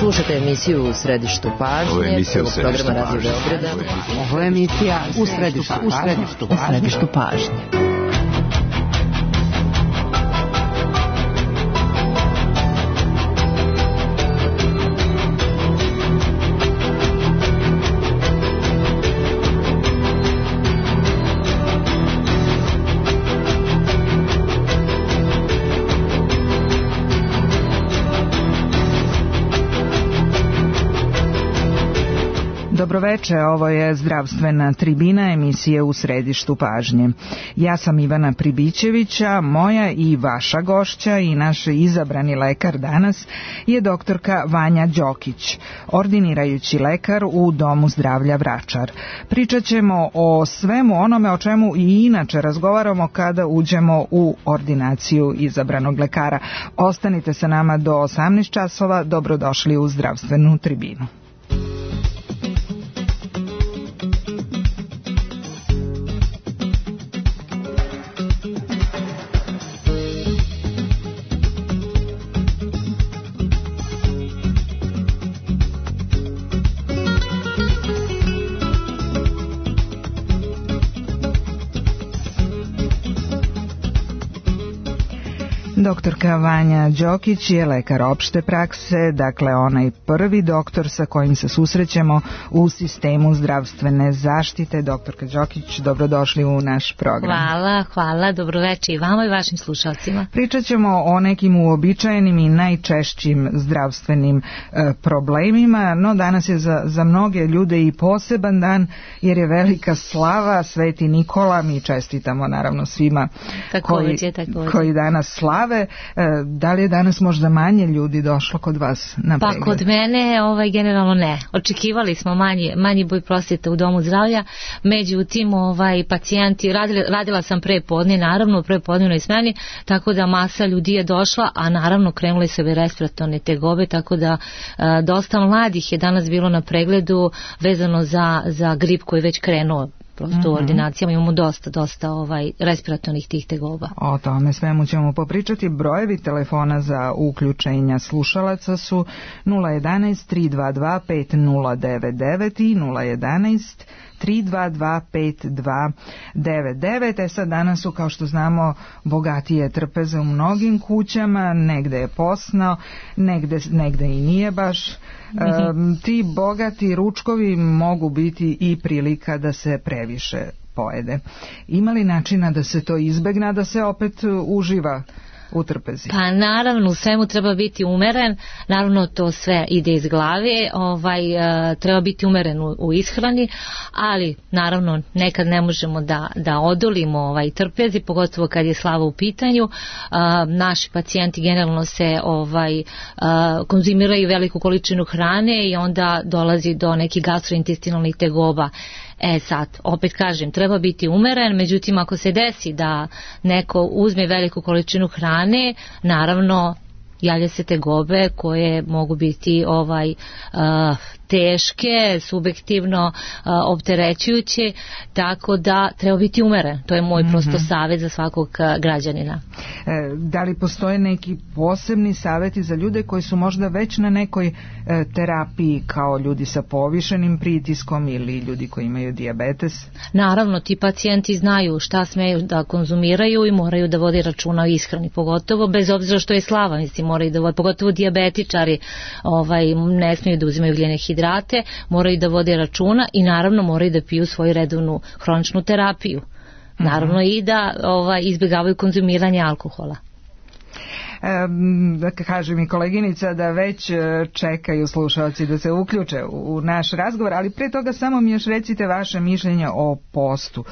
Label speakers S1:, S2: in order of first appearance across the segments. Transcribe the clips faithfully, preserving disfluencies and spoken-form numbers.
S1: Slušajte emisiju U središtu pažnje, prvog programa Radio Beograda.
S2: Ovo je emisija U središtu, u središtu, u središtu pažnje.
S3: Dobroveče, ovo je zdravstvena tribina emisije U središtu pažnje. Ja sam Ivana Pribićevića, moja i vaša gošća i naš izabrani lekar danas je doktorka Vanja Đokić, ordinirajući lekar u Domu zdravlja Vračar. Pričat ćemo o svemu onome o čemu i inače razgovaramo kada uđemo u ordinaciju izabranog lekara. Ostanite sa nama do osamnaest časova, dobrodošli u zdravstvenu tribinu. Doktorka Vanja Đokić je lekar opšte prakse, dakle onaj prvi doktor sa kojim se susrećemo u sistemu zdravstvene zaštite. Doktorka Đokić, dobrodošli u naš program.
S4: Hvala, hvala, dobroveče i vama i vašim slušalcima.
S3: Pričat ćemo o nekim uobičajenim i najčešćim zdravstvenim e, problemima, no danas je za, za mnoge ljude i poseban dan jer je velika slava, Sveti Nikola, mi čestitamo naravno svima
S4: takođe,
S3: koji,
S4: takođe.
S3: koji danas slave. Da li je danas možda manje ljudi došlo kod vas na pregled?
S4: Pa kod mene ovaj, generalno ne. Očekivali smo manji, manji broj prosjeta u Domu zdravlja, međutim ovaj, pacijenti, radila, radila sam pre podne, naravno u prepodnevnoj smeni, tako da masa ljudi je došla, a naravno krenule su ove respiratorne tegobe, tako da a, dosta mladih je danas bilo na pregledu vezano za, za grip koji je već krenuo. Prosto mm-hmm. u ordinacijama imamo dosta, dosta ovaj, respiratornih tih tegoba.
S3: O tome svemu ćemo popričati. Brojevi telefona za uključenja slušalaca su nula jedanaest tri dva dva pet nula devet devet i nula jedanaest tri dva dva pet dva devet devet. E sad danas su, kao što znamo, bogatije trpeze u mnogim kućama, negde je posno, negde, negde i nije baš. Mm-hmm. E, ti bogati ručkovi mogu biti i prilika da se previše pojede. Ima li načina da se to izbegne, da se opet uživa u trpezi?
S4: Pa naravno, u svemu treba biti umeren, naravno to sve ide iz glave, ovaj, e, treba biti umeren u, u ishrani, ali naravno nekad ne možemo da, da odolimo ovaj, trpezi, pogotovo kad je slava u pitanju. E, naši pacijenti generalno se ovaj, e, konzumiraju veliku količinu hrane i onda dolazi do nekih gastrointestinalnih tegoba. E sad, opet kažem, treba biti umeren, međutim ako se desi da neko uzme veliku količinu hrane, naravno javlja se tegobe koje mogu biti ovaj uh, teške, subjektivno uh, opterećujuće, tako da treba biti umeren. To je moj mm-hmm. prosto savjet za svakog uh, građanina.
S3: E, da li postoje neki posebni savjeti za ljude koji su možda već na nekoj e, terapiji, kao ljudi sa povišenim pritiskom ili ljudi koji imaju dijabetes?
S4: Naravno, ti pacijenti znaju šta smeju da konzumiraju i moraju da vode računa o ishrani, pogotovo bez obzira što je slava, mislim, moraju da vode, pogotovo dijabetičari ovaj, ne smiju da uzimaju ugljene hidrate, moraju da vode računa i naravno moraju da piju svoju redovnu hroničnu terapiju. Naravno mm-hmm. i da ovaj, izbjegavaju konzumiranje alkohola.
S3: Da kaže mi koleginica da već čekaju slušalci da se uključe u naš razgovor, ali pre toga samo mi još recite vaše mišljenje o postu.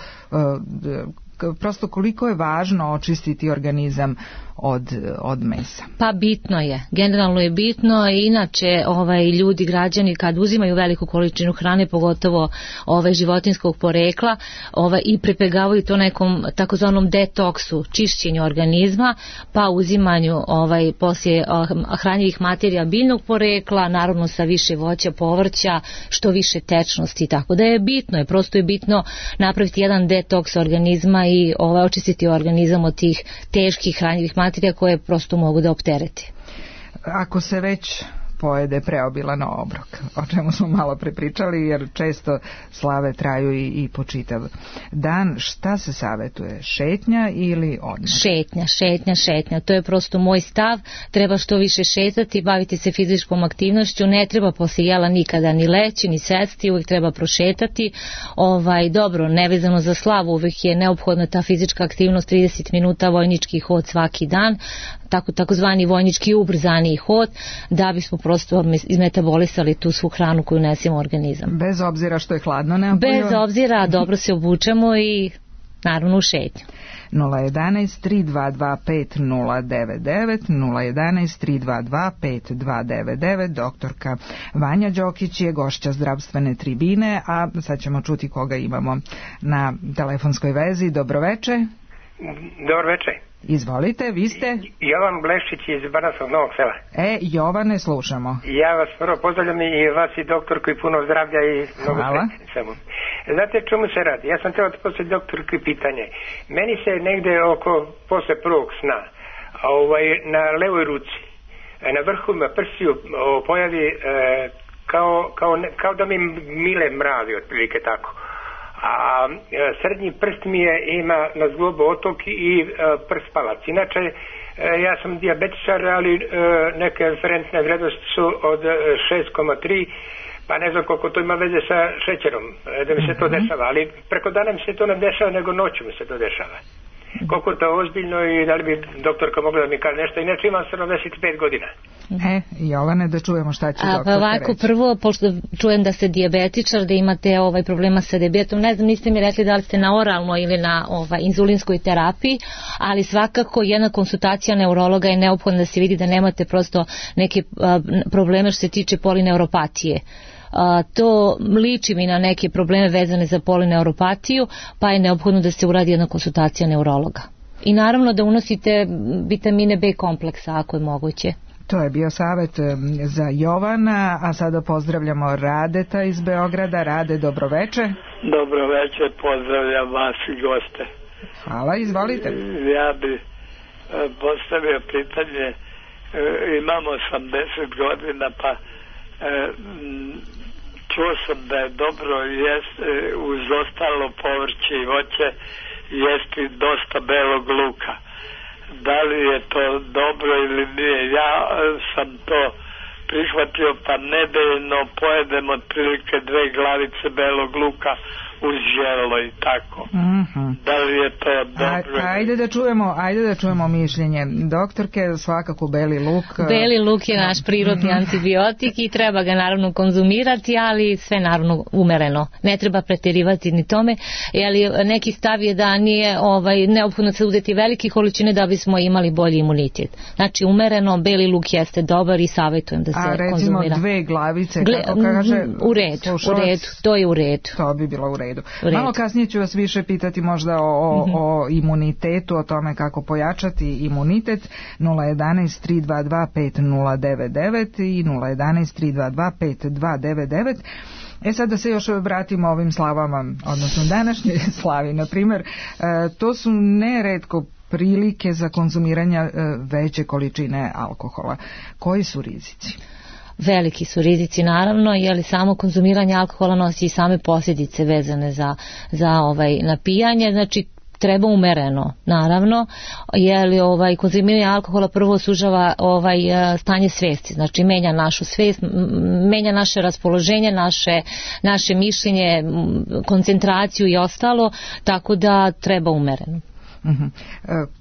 S3: Prosto koliko je važno očistiti organizam od, od mesa?
S4: Pa bitno je, generalno je bitno, inače ovaj, ljudi, građani kad uzimaju veliku količinu hrane, pogotovo ovaj, životinskog porekla ovaj, i prepegavaju to nekom takozvanom detoksu, čišćenju organizma, pa uzimanju ovaj, poslije hranjivih materija biljnog porekla, naravno sa više voća, povrća, što više tečnosti, tako da je bitno, je prosto je bitno napraviti jedan detoks organizma i ovaj, očistiti organizam od tih teških hranjivih materija koje prosto mogu da optereti.
S3: Ako se već pojede preobilan obrok, o čemu smo malo prepričali, jer često slave traju i, i po čitav dan. Šta se savetuje? Šetnja ili odmor?
S4: Šetnja, šetnja, šetnja. To je prosto moj stav. Treba što više šetati, baviti se fizičkom aktivnošću. Ne treba posle jela nikada ni leći, ni sesti, uvijek treba prošetati. Ovaj, dobro, nevezano za slavu, uvijek je neophodna ta fizička aktivnost, trideset minuta vojnički hod svaki dan, tako takozvani vojnički ubrzani hod, da bismo prosto izmetabolisali tu svu hranu koju nesemo u organizam.
S3: Bez obzira što je hladno neophodno?
S4: Bez obzira, dobro se obučemo i naravno u šetnju.
S3: nula jedan tri dva dva pet nula devet devet, nula jedan tri dva dva pet dva devet devet. Doktorka Vanja Đokić je gošća zdravstvene tribine, a sad ćemo čuti koga imamo na telefonskoj vezi. Dobroveče.
S5: Dobroveče.
S3: Izvolite, vi ste?
S5: Jovan Bleščić iz Banatskog Novog Sela.
S3: E, Jovane, slušamo.
S5: Ja vas prvo pozdravljam i vas i doktorku i puno zdravlja i mnogo srećno. Znate čemu se radi? Ja sam trebao da postaviti doktorku pitanje. Meni se negde oko posle prvog sna ovaj, na levoj ruci, na vrhu ima prsiju pojavi e, kao, kao, kao da mi mile mravi, otprilike tako. A srednji prst mi je, ima na zglobu otok i e, prst palac. Inače, e, ja sam dijabetičar, ali e, neke referentne vrednosti su od šest zarez tri, pa ne znam koliko to ima veze sa šećerom, da mi se to dešava, ali preko dana mi se to ne dešava, nego noću mi se to dešava. Koliko je to ozbiljno i da li bi doktorka mogla da mi kaže nešto, inače imam sedamdeset pet godina.
S3: E, Jovane, da čujemo šta će doktorka
S4: reći. Ovako, prvo, pošto čujem da ste dijabetičar, da imate ovaj problema sa dijabetom, ne znam, niste mi rekli da li ste na oralnoj ili na ovaj, inzulinskoj terapiji, ali svakako jedna konsultacija neurologa je neophodna da se vidi da nemate prosto neke a, probleme što se tiče polineuropatije. A, to liči mi na neke probleme vezane za polineuropatiju, pa je neophodno da se uradi jedna konsultacija neurologa. I naravno da unosite vitamine B kompleksa ako je moguće.
S3: To je bio savjet za Jovana, a sada pozdravljamo Radeta iz Beograda. Rade, dobroveče.
S6: Dobroveče, pozdravljam vas i goste.
S3: Hvala, izvolite.
S6: Ja bi postavio pitanje, imam osamdeset godina, pa čuo sam da je dobro jest, uz ostalo povrće i voće jesti dosta belog luka. Da li je to dobro ili nije? Ja sam to prihvatio, pa nedeljno pojedem otprilike dve glavice belog luka uz želo i tako. Mm-hmm. Da li je to dobro?
S3: A, ajde da čujemo, ajde da čujemo mišljenje doktorke, svakako beli luk.
S4: Beli luk je naš prirodni antibiotik i treba ga naravno konzumirati, ali sve naravno umereno. Ne treba preterivati ni tome, jer neki stav je da nije ovaj, neophodno se uzeti velike količine da bismo imali bolji imunitet. Znači umereno, beli luk jeste dobar i savjetujem da se konzumira.
S3: A recimo
S4: konzumira.
S3: Dve glavice, Gle, kako kaže
S4: u redu, u redu, to je u redu.
S3: To bi bilo u redu. Malo kasnije ću vas više pitati možda o, mm-hmm. o imunitetu, o tome kako pojačati imunitet. Nula jedan tri dva dva pet nula devet devet i nula jedan tri dva dva pet dva devet devet. E sad da se još vratimo ovim slavama, odnosno današnjoj slavi, na primjer, e, to su neretko prilike za konzumiranje e, veće količine alkohola. Koji su rizici?
S4: Veliki su rizici naravno, jer samo konzumiranje alkohola nosi i same posljedice vezane za, za ovaj napijanje, znači treba umereno, naravno, jer ovaj, konzumiranje alkohola prvo sužava ovaj, stanje svesti, znači menja našu svest, menja naše raspoloženje, naše, naše mišljenje, koncentraciju i ostalo, tako da treba umereno.
S3: Uh-huh.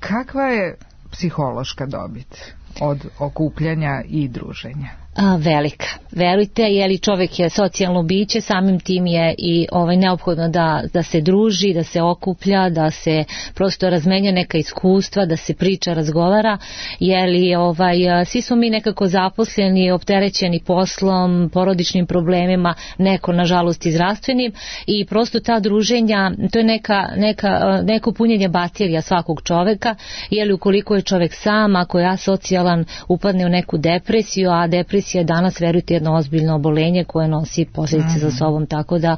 S3: Kakva je psihološka dobit od okupljanja i druženja?
S4: A, velika. Verujte, jer i čovjek je socijalno biće, samim tim je i ovaj, neophodno da, da se druži, da se okuplja, da se prosto razmenja neka iskustva, da se priča, razgovara, jer i, ovaj, svi smo mi nekako zaposleni, opterećeni poslom, porodičnim problemima, neko nažalost i zdravstvenim, i prosto ta druženja, to je neka, neka, neko punjenje baterija svakog čovjeka, jer ukoliko je čovjek sam, ako je asocijalan, upadne u neku depresiju, a depresija je danas, verujte, jedno ozbiljno obolenje koje nosi posljedice za sobom, tako da,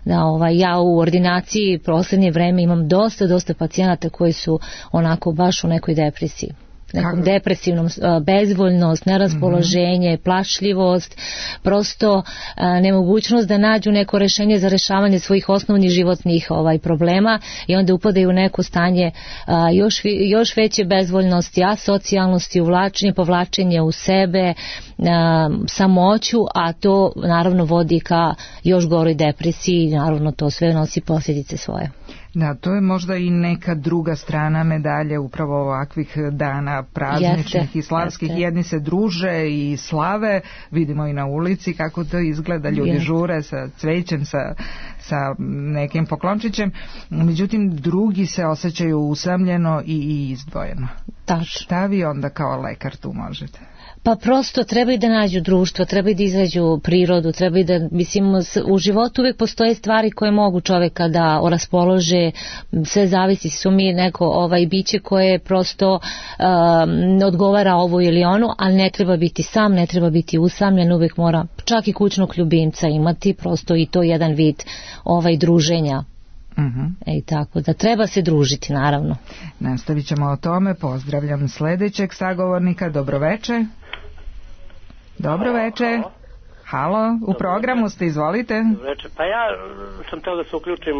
S4: da ovaj, ja u ordinaciji posljednje vreme imam dosta, dosta pacijenata koji su onako baš u nekoj depresiji. nekom depresivnom, bezvoljnost, neraspoloženje, mm-hmm. plašljivost, prosto a, nemogućnost da nađu neko rešenje za rešavanje svojih osnovnih životnih ovaj, problema i onda upadaju u neko stanje a, još, još veće bezvoljnosti, asocijalnosti, uvlačenje, povlačenje u sebe, a, samoću, a to naravno vodi ka još goroj depresiji i naravno to sve nosi posljedice svoje.
S3: Da, to je možda i neka druga strana medalje upravo ovakvih dana prazničnih jeste, i slavskih. Jeste. Jedni se druže i slave, vidimo i na ulici kako to izgleda, ljudi jeste. Žure sa cvećem, sa, sa nekim poklončićem, međutim drugi se osjećaju usamljeno i, i izdvojeno.
S4: Tačno.
S3: Šta vi onda kao lekar tu možete?
S4: Pa prosto trebaju da nađu društvo, trebaju da izađu prirodu, trebaju da, mislim, u životu uvijek postoje stvari koje mogu čoveka da raspolože, sve zavisi, su mi neko ovaj biće koje prosto um, odgovara ovo ili ono, ali ne treba biti sam, ne treba biti usamljen, uvijek mora čak i kućnog ljubimca imati, prosto i to jedan vid ovaj druženja.
S3: Uh-huh.
S4: E, tako da treba se družiti, naravno.
S3: Nastavit ćemo o tome. Pozdravljam sljedećeg sagovornika. Dobroveče. Dobroveče. Halo, u programu ste, izvolite.
S7: Dobroveče. Pa ja sam teo da se uključim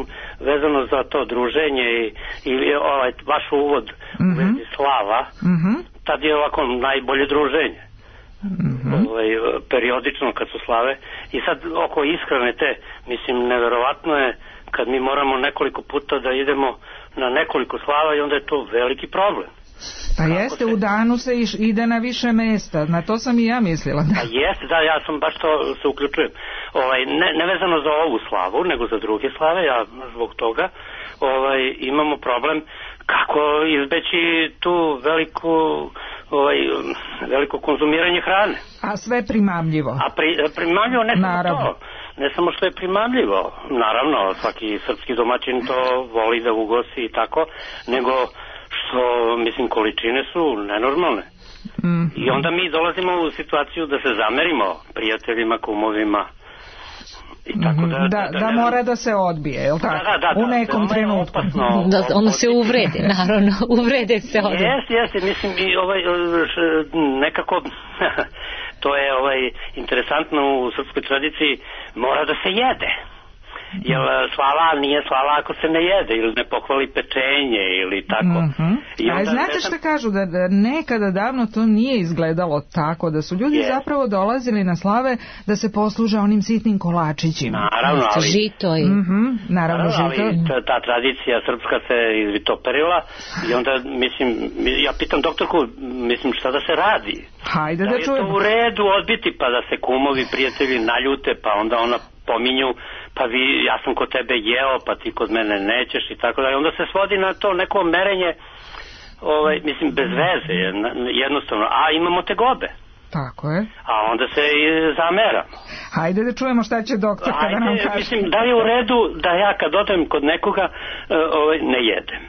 S7: vezano za to druženje i, i ovaj vaš uvod uh-huh. u vezi slava.
S3: Uh-huh.
S7: Tad je ovako najbolje druženje.
S3: Uh-huh.
S7: Ovaj, periodično kad su slave. I sad oko ishrane te, mislim, neverovatno je kad mi moramo nekoliko puta da idemo na nekoliko slava i onda je to veliki problem.
S3: Pa kako jeste, se... u danu se iš, ide na više mesta, na to sam i ja mislila. Da.
S7: Pa jeste, da, ja sam baš to se uključujem. Ovaj, ne, ne vezano za ovu slavu, nego za druge slave, ja zbog toga ovaj, imamo problem kako izbeći tu veliku, ovaj, veliko konzumiranje hrane.
S3: A sve primamljivo.
S7: A pri, primamljivo ne samo
S3: naravno.
S7: To. Ne samo što je primamljivo, naravno, svaki srpski domaćin to voli da ugosti i tako, nego što, mislim, količine su nenormalne.
S3: Mm.
S7: I onda mi dolazimo u situaciju da se zamerimo prijateljima, kumovima. I tako da,
S3: da,
S7: da,
S3: da,
S7: da,
S3: da mora da se odbije, je li tako?
S7: Da, da, da,
S3: u nekom
S7: da,
S3: trenutku.
S7: Opasno,
S4: da, ono se uvrede, naravno, uvrede se odmah.
S7: Jeste, jeste, mislim, i ovaj, nekako, to je ovaj interesantno u srpskoj tradiciji, mora da se jede. Jer slava nije slava ako se ne jede ili ne pohvali pečenje ili tako.
S3: Mm-hmm. I onda, a znate šta kažu, da, da nekada davno to nije izgledalo tako, da su ljudi yes. zapravo dolazili na slave da se posluže onim sitnim kolačićima.
S7: Naravno, ali...
S4: Žito i...
S3: Mm-hmm, naravno, naravno žito.
S7: Ali ta, ta tradicija srpska se izvitoperila i onda, mislim, ja pitam doktorku, mislim, šta da se radi?
S3: Hajde da,
S7: da
S3: čujemo.
S7: Da je to u redu odbiti pa da se kumovi, prijatelji naljute pa onda ona pominju, pa vi, ja sam kod tebe jeo, pa ti kod mene nećeš i tako dalje. Onda se svodi na to neko merenje, ovaj, mislim, bez veze, jednostavno. A imamo tegobe.
S3: Tako je.
S7: A onda se i zamera.
S3: Hajde da čujemo šta će doktor kada nam kaže.
S7: Mislim, da je u redu da ja kad odem kod nekoga ovaj, ne jedem.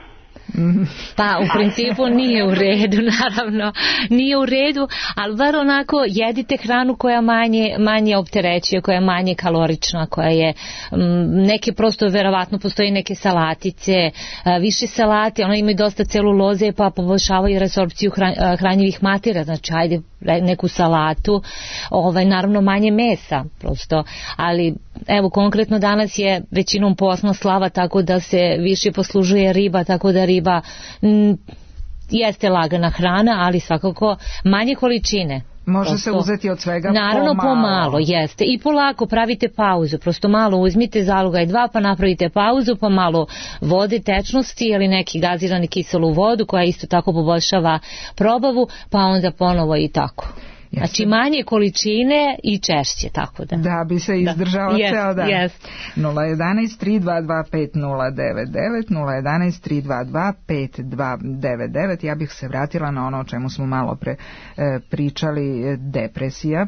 S4: Pa u principu nije u redu, naravno nije u redu, ali bar onako jedite hranu koja manje, manje opterećuje, koja je manje kalorična, koja je m, neke prosto verovatno postoji neke salatice, a, više salate, ono imaju dosta celuloze pa poboljšavaju resorpciju hran, a, hranjivih matera, znači ajde neku salatu, ovaj, naravno manje mesa prosto, ali evo konkretno danas je većinom posna slava tako da se više poslužuje riba, tako da riba m, jeste lagana hrana, ali svakako manje količine.
S3: Može prosto, se uzeti od svega
S4: naravno
S3: pomalo.
S4: pomalo, jeste. I polako pravite pauzu, prosto malo uzmite zalogaj dva pa napravite pauzu, pa malo vode, tečnosti ili neki gazirani kiselu vodu koja isto tako poboljšava probavu, pa onda ponovo i tako. Jeste. Znači manje količine i češće, tako da.
S3: Da bi se izdržao
S4: da.
S3: ceo dan.
S4: Yes.
S3: nula jedan tri dva dva pet nula devet devet, nula jedan tri dva dva pet dva devet devet. Ja bih se vratila na ono o čemu smo malo pre e, pričali, depresija,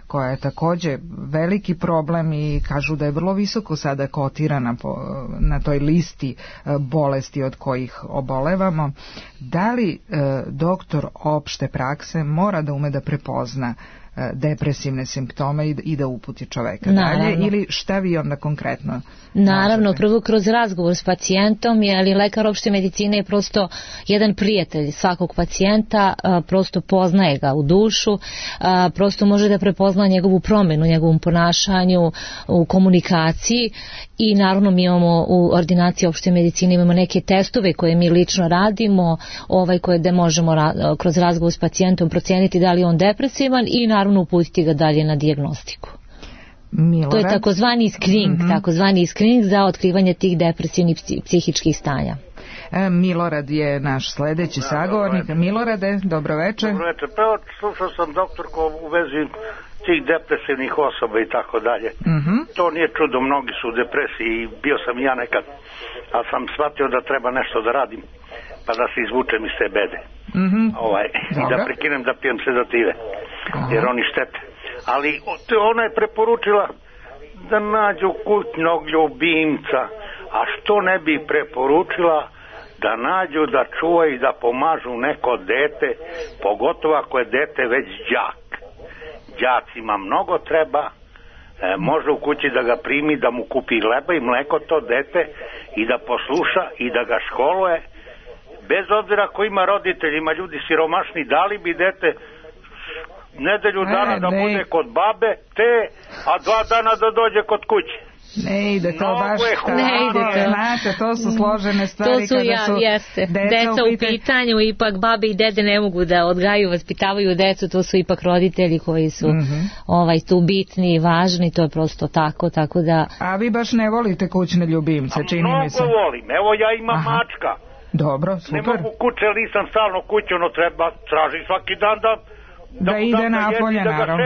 S3: koja je također veliki problem i kažu da je vrlo visoko sada kotirana po, na toj listi bolesti od kojih obolevamo. Da li e, doktor opšte prakse mora da ume da prepozna depresivne simptome i da uputi čoveka dalje, ili šta vi onda konkretno?
S4: Naravno, prvo kroz razgovor s pacijentom, jer lekar opšte medicine je prosto jedan prijatelj svakog pacijenta, prosto poznaje ga u dušu, prosto može da prepozna njegovu promjenu, njegovom ponašanju, u komunikaciji, i naravno mi imamo u ordinaciji opšte medicine imamo neke testove koje mi lično radimo, ovaj koje da možemo ra- kroz razgovor s pacijentom procijeniti da li je on depresivan i naravno uputiti ga dalje na dijagnostiku.
S3: Milorad.
S4: To je takozvani screening, mm-hmm. takozvani screening za otkrivanje tih depresivnih psihičkih stanja.
S3: E, Milorad je naš sledeći ja, sagovornik. Dobro Milorade, dobro večer.
S8: Dobro večer. Pa evo, slušao sam doktorko u vezi tih depresivnih osoba i tako dalje.
S3: Mm-hmm.
S8: To nije čudo, mnogi su u depresiji i bio sam i ja nekad, a sam shvatio da treba nešto da radim, pa da se izvučem iz te bede.
S3: Mm-hmm.
S8: Ovaj, i da prekinem da pijem sedative, Aha. jer oni štete. Ali ona je preporučila da nađu kućnog ljubimca, a što ne bi preporučila da nađu, da čuvaju i da pomažu neko dete, pogotovo ako je dete već đak. Đacima mnogo treba, e, može u kući da ga primi, da mu kupi hleba i mleko to dete i da posluša i da ga školuje, bez obzira ko ima roditelji, ima ljudi siromašni, dali bi dete nedelju dana e, da ne. bude kod babe, te, a dva dana da dođe kod kuće.
S3: Ne ide to
S8: Mnogo
S3: baš
S8: tako,
S4: ne ide to.
S3: Znate, to su složene stvari.
S4: To su,
S3: kada
S4: ja,
S3: su
S4: jeste.
S3: deca,
S4: deca u pitanju. pitanju, ipak babe i dede ne mogu da odgajaju, vaspitavaju decu, to su ipak roditelji koji su mm-hmm. ovaj, tu bitni i važni, to je prosto tako, tako da...
S3: A vi baš ne volite kućne ljubimce, čini mi se.
S8: Mnogo volim, evo ja imam Aha. mačka.
S3: Dobro, super.
S8: Ne mogu kuće, ali nisam stalno kuću, no treba traži svaki dan da...
S3: Da, da ide napolje,
S8: da
S3: naravno.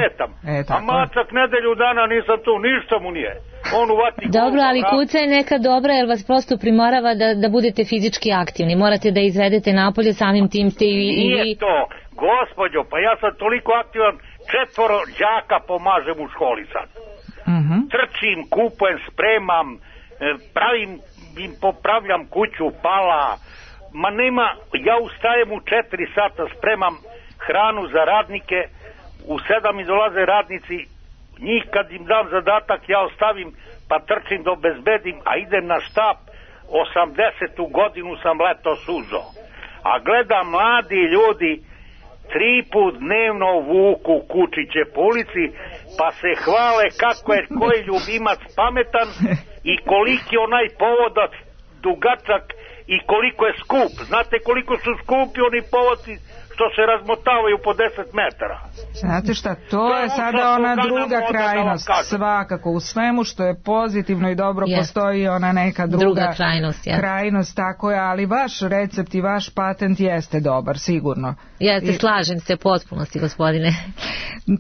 S8: E, a macak nedelju dana nisam tu, ništa mu nije. On uvati
S4: Dobro, ali kuća je neka dobra jer vas prosto primorava da, da budete fizički aktivni. Morate da izvedete napolje, samim tim ste i... i...
S8: Nije to, gospođo, pa ja sam toliko aktivan, četvoro đaka pomažem u školi sad.
S3: Uh-huh.
S8: Trčim, kupujem, spremam, pravim, im popravljam kuću, pala. Ma nema, ja ustajem u četiri sata, spremam hranu za radnike, u sedam mi dolaze radnici, njih kad im dam zadatak ja ostavim pa trčim do bezbedim, a idem na štap. Osamdesetu godinu sam leto suzo, a gledam mladi ljudi tri put dnevno vuku kučiće po ulici pa se hvale kako je koji ljubimac pametan i koliki onaj povodac dugačak i koliko je skup. Znate koliko su skupi oni povodci što se razmotavaju po deset metara.
S3: Znate šta, to, to je sada ona druga krajnost. Svakako, u svemu što je pozitivno i dobro yes. postoji ona neka druga,
S4: druga krajnost, yes.
S3: krajnost, tako je, ali vaš recept i vaš patent jeste dobar, sigurno.
S4: Jeste, I... slažem se potpunosti, gospodine.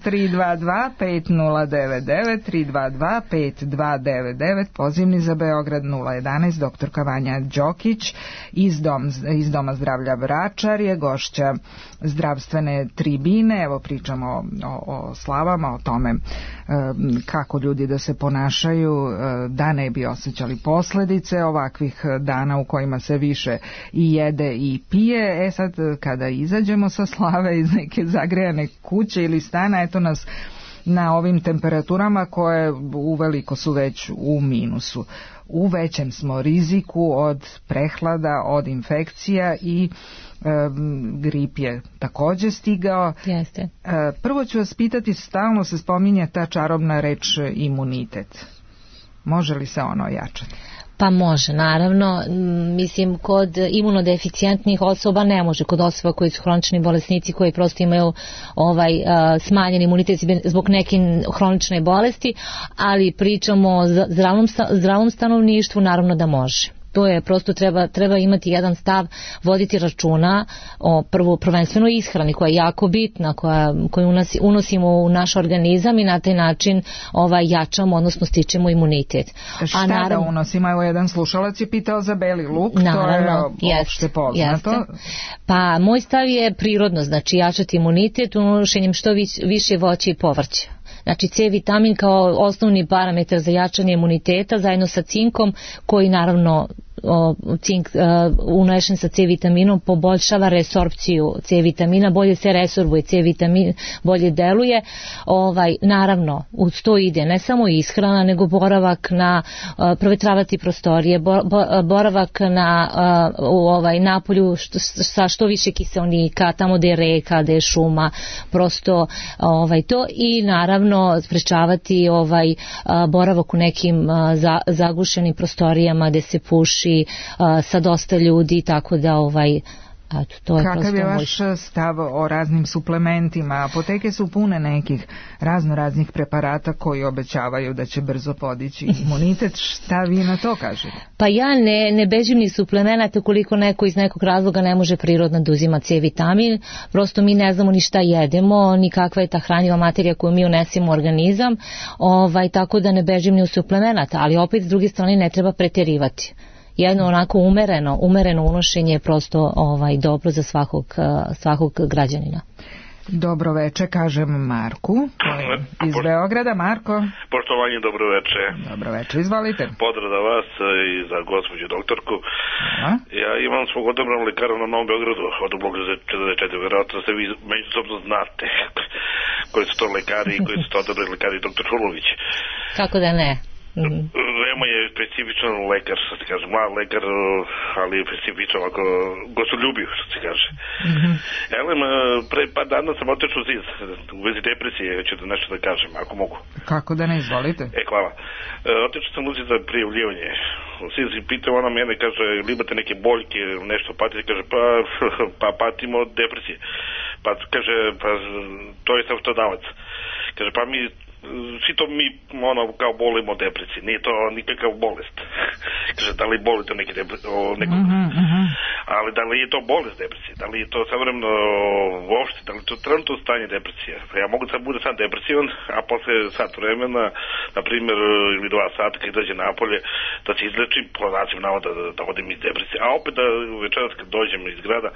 S3: tri dva dva pet nula devet devet, tri dva dva pet dva devet devet, pozivni za Beograd nula jedanaest, doktorka Vanja Đokić iz, dom, iz Doma zdravlja Vračar je gošća zdravstvene tribine. Evo pričamo o, o, o slavama, o tome e, kako ljudi da se ponašaju e, da ne bi osjećali posljedice ovakvih dana u kojima se više i jede i pije. E sad kada izađemo sa slave iz neke zagrejane kuće ili stana, eto nas na ovim temperaturama koje uveliko su već u minusu. U većem smo riziku od prehlada, od infekcija i grip je također stigao.
S4: Jeste.
S3: Prvo ću vas pitati, stalno se spominje ta čarobna reč imunitet. Može li se ono ojačati?
S4: Pa može, naravno. Mislim, kod imunodeficijentnih osoba ne može, kod osoba koji su hronični bolesnici koji prosto imaju ovaj uh, smanjen imunitet zbog neke hronične bolesti, ali pričamo o zdravom, zdravom stanovništvu, naravno da može. To je prosto treba, treba imati jedan stav, voditi računa o prvo prvenstveno ishrani koja je jako bitna, koja, koju unosi, unosimo u naš organizam i na taj način ovaj, jačamo, odnosno stičemo imunitet.
S3: Šta A naravno, da unosimo? Evo jedan slušalac je pitao za beli luk, naravno, to je opšte poznato. Jeste.
S4: Pa moj stav je prirodno, znači jačati imunitet unošenjem što više voća i povrća. Znači C vitamin kao osnovni parametar za jačanje imuniteta zajedno sa cinkom koji naravno o, cink unešen sa C vitaminom poboljšava resorpciju C vitamina, bolje se resorbuje C vitamin, bolje deluje. Ovaj, naravno, uz to ide ne samo ishrana, nego boravak na uh, provetravati prostorije, bo, bo, boravak na uh, u ovaj napolju što, sa što više kiseonika, tamo gde je reka, gde je šuma, prosto ovaj to, i naravno sprečavati ovaj uh, boravak u nekim uh, za, zagušenim prostorijama gde se puši uh, sa dosta ljudi, tako da ovaj Eto, to je
S3: Kakav je vaš
S4: moj...
S3: stav o raznim suplementima? Apoteke su pune nekih razno raznih preparata koji obećavaju da će brzo podići imunitet. Šta vi na to kažete?
S4: Pa ja ne, ne bežim ni suplemenata koliko neko iz nekog razloga ne može prirodno da uzima C vitamin. Prosto mi ne znamo ni šta jedemo, ni kakva je ta hranjiva materija koju mi unesemo u organizam, ovaj, tako da ne bežim ni u suplemenata, ali opet s druge strane ne treba preterivati. Jedno onako umereno, umereno unošenje je prosto ovaj, dobro za svakog, svakog građanina.
S3: Dobro veče, kažem Marku, iz Beograda. Marko.
S9: Poštovanje, dobro veče.
S3: Dobro veče, izvalite.
S9: Pozdrav za vas i za gospođu doktorku. A? Ja imam svog odabranog lekara na Novom Beogradu, od bloka četrdeset četiri, vjerojatno se vi međusobno znate koji su to lekari i koji su to odabrali lekari, doktor Šulović.
S4: Kako da ne?
S9: Mm-hmm. Veoma je specifičan lekar, što se kaže, mlad lekar, ali je specifičan, ovako, gostoljubiv, što se kaže. Mm-hmm. Elem, pre par dana sam otečao u ZIZ, u vezi depresije, ću da nešto da kažem, ako mogu.
S3: Kako da ne, izvolite.
S9: E, hvala. Otečao sam u ZIZ za prijavljivanje. U ZIZ i pitao ona mene, kaže, ili imate neke boljke, nešto patite, kaže, pa, pa patimo od depresije. Pa, kaže, pa, to je savjetodavac. Kaže, pa mi svi to mi ono kao bolimo od depresije, nije to nikakav bolest. Kaže, da li bolite o neke depresije, o nekom, uh-huh, uh-huh. ali da li je to bolest depresije, da li je to savremeno uopšte, da li je to trenutno stanje depresije. Ja mogu da bude sam depresivan, a posle sat vremena, na primjer, ili dva sata kad dođe napolje, da se izlečim, po znacima navoda da, da odim iz depresije, a opet da večeras kad dođem iz grada,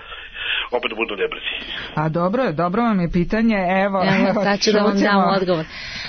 S9: opet da budu u depresiji.
S3: A dobro je, dobro vam je pitanje, evo,
S4: evo sad ću da vam dam odgovor.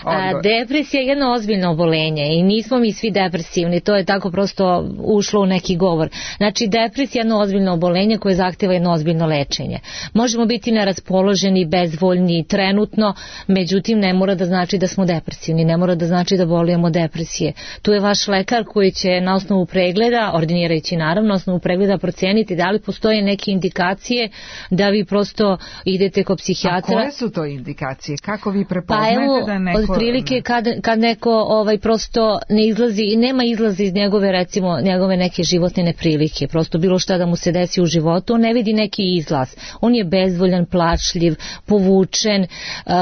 S4: A, depresija je jedno ozbiljno obolenje i nismo mi svi depresivni, to je tako prosto ušlo u neki govor. Znači, depresija je jedno ozbiljno obolenje koje zahteva jedno ozbiljno lečenje. Možemo biti neraspoloženi, bezvoljni trenutno, međutim ne mora da znači da smo depresivni, ne mora da znači da bolujemo depresije. Tu je vaš lekar koji će na osnovu pregleda, ordinirajući naravno, na osnovu pregleda proceniti da li postoje neke indikacije da vi prosto idete kod psihijatra.
S3: A koje su to indikacije? Kako vi prepoznajete pa evo, da neko...
S4: Otprilike kad, kad neko ovaj, prosto ne izlazi i nema izlazi iz njegove, recimo, njegove neke životne neprilike, prosto bilo šta da mu se desi u životu, on ne vidi neki izlaz. On je bezvoljan, plačljiv, povučen, uh,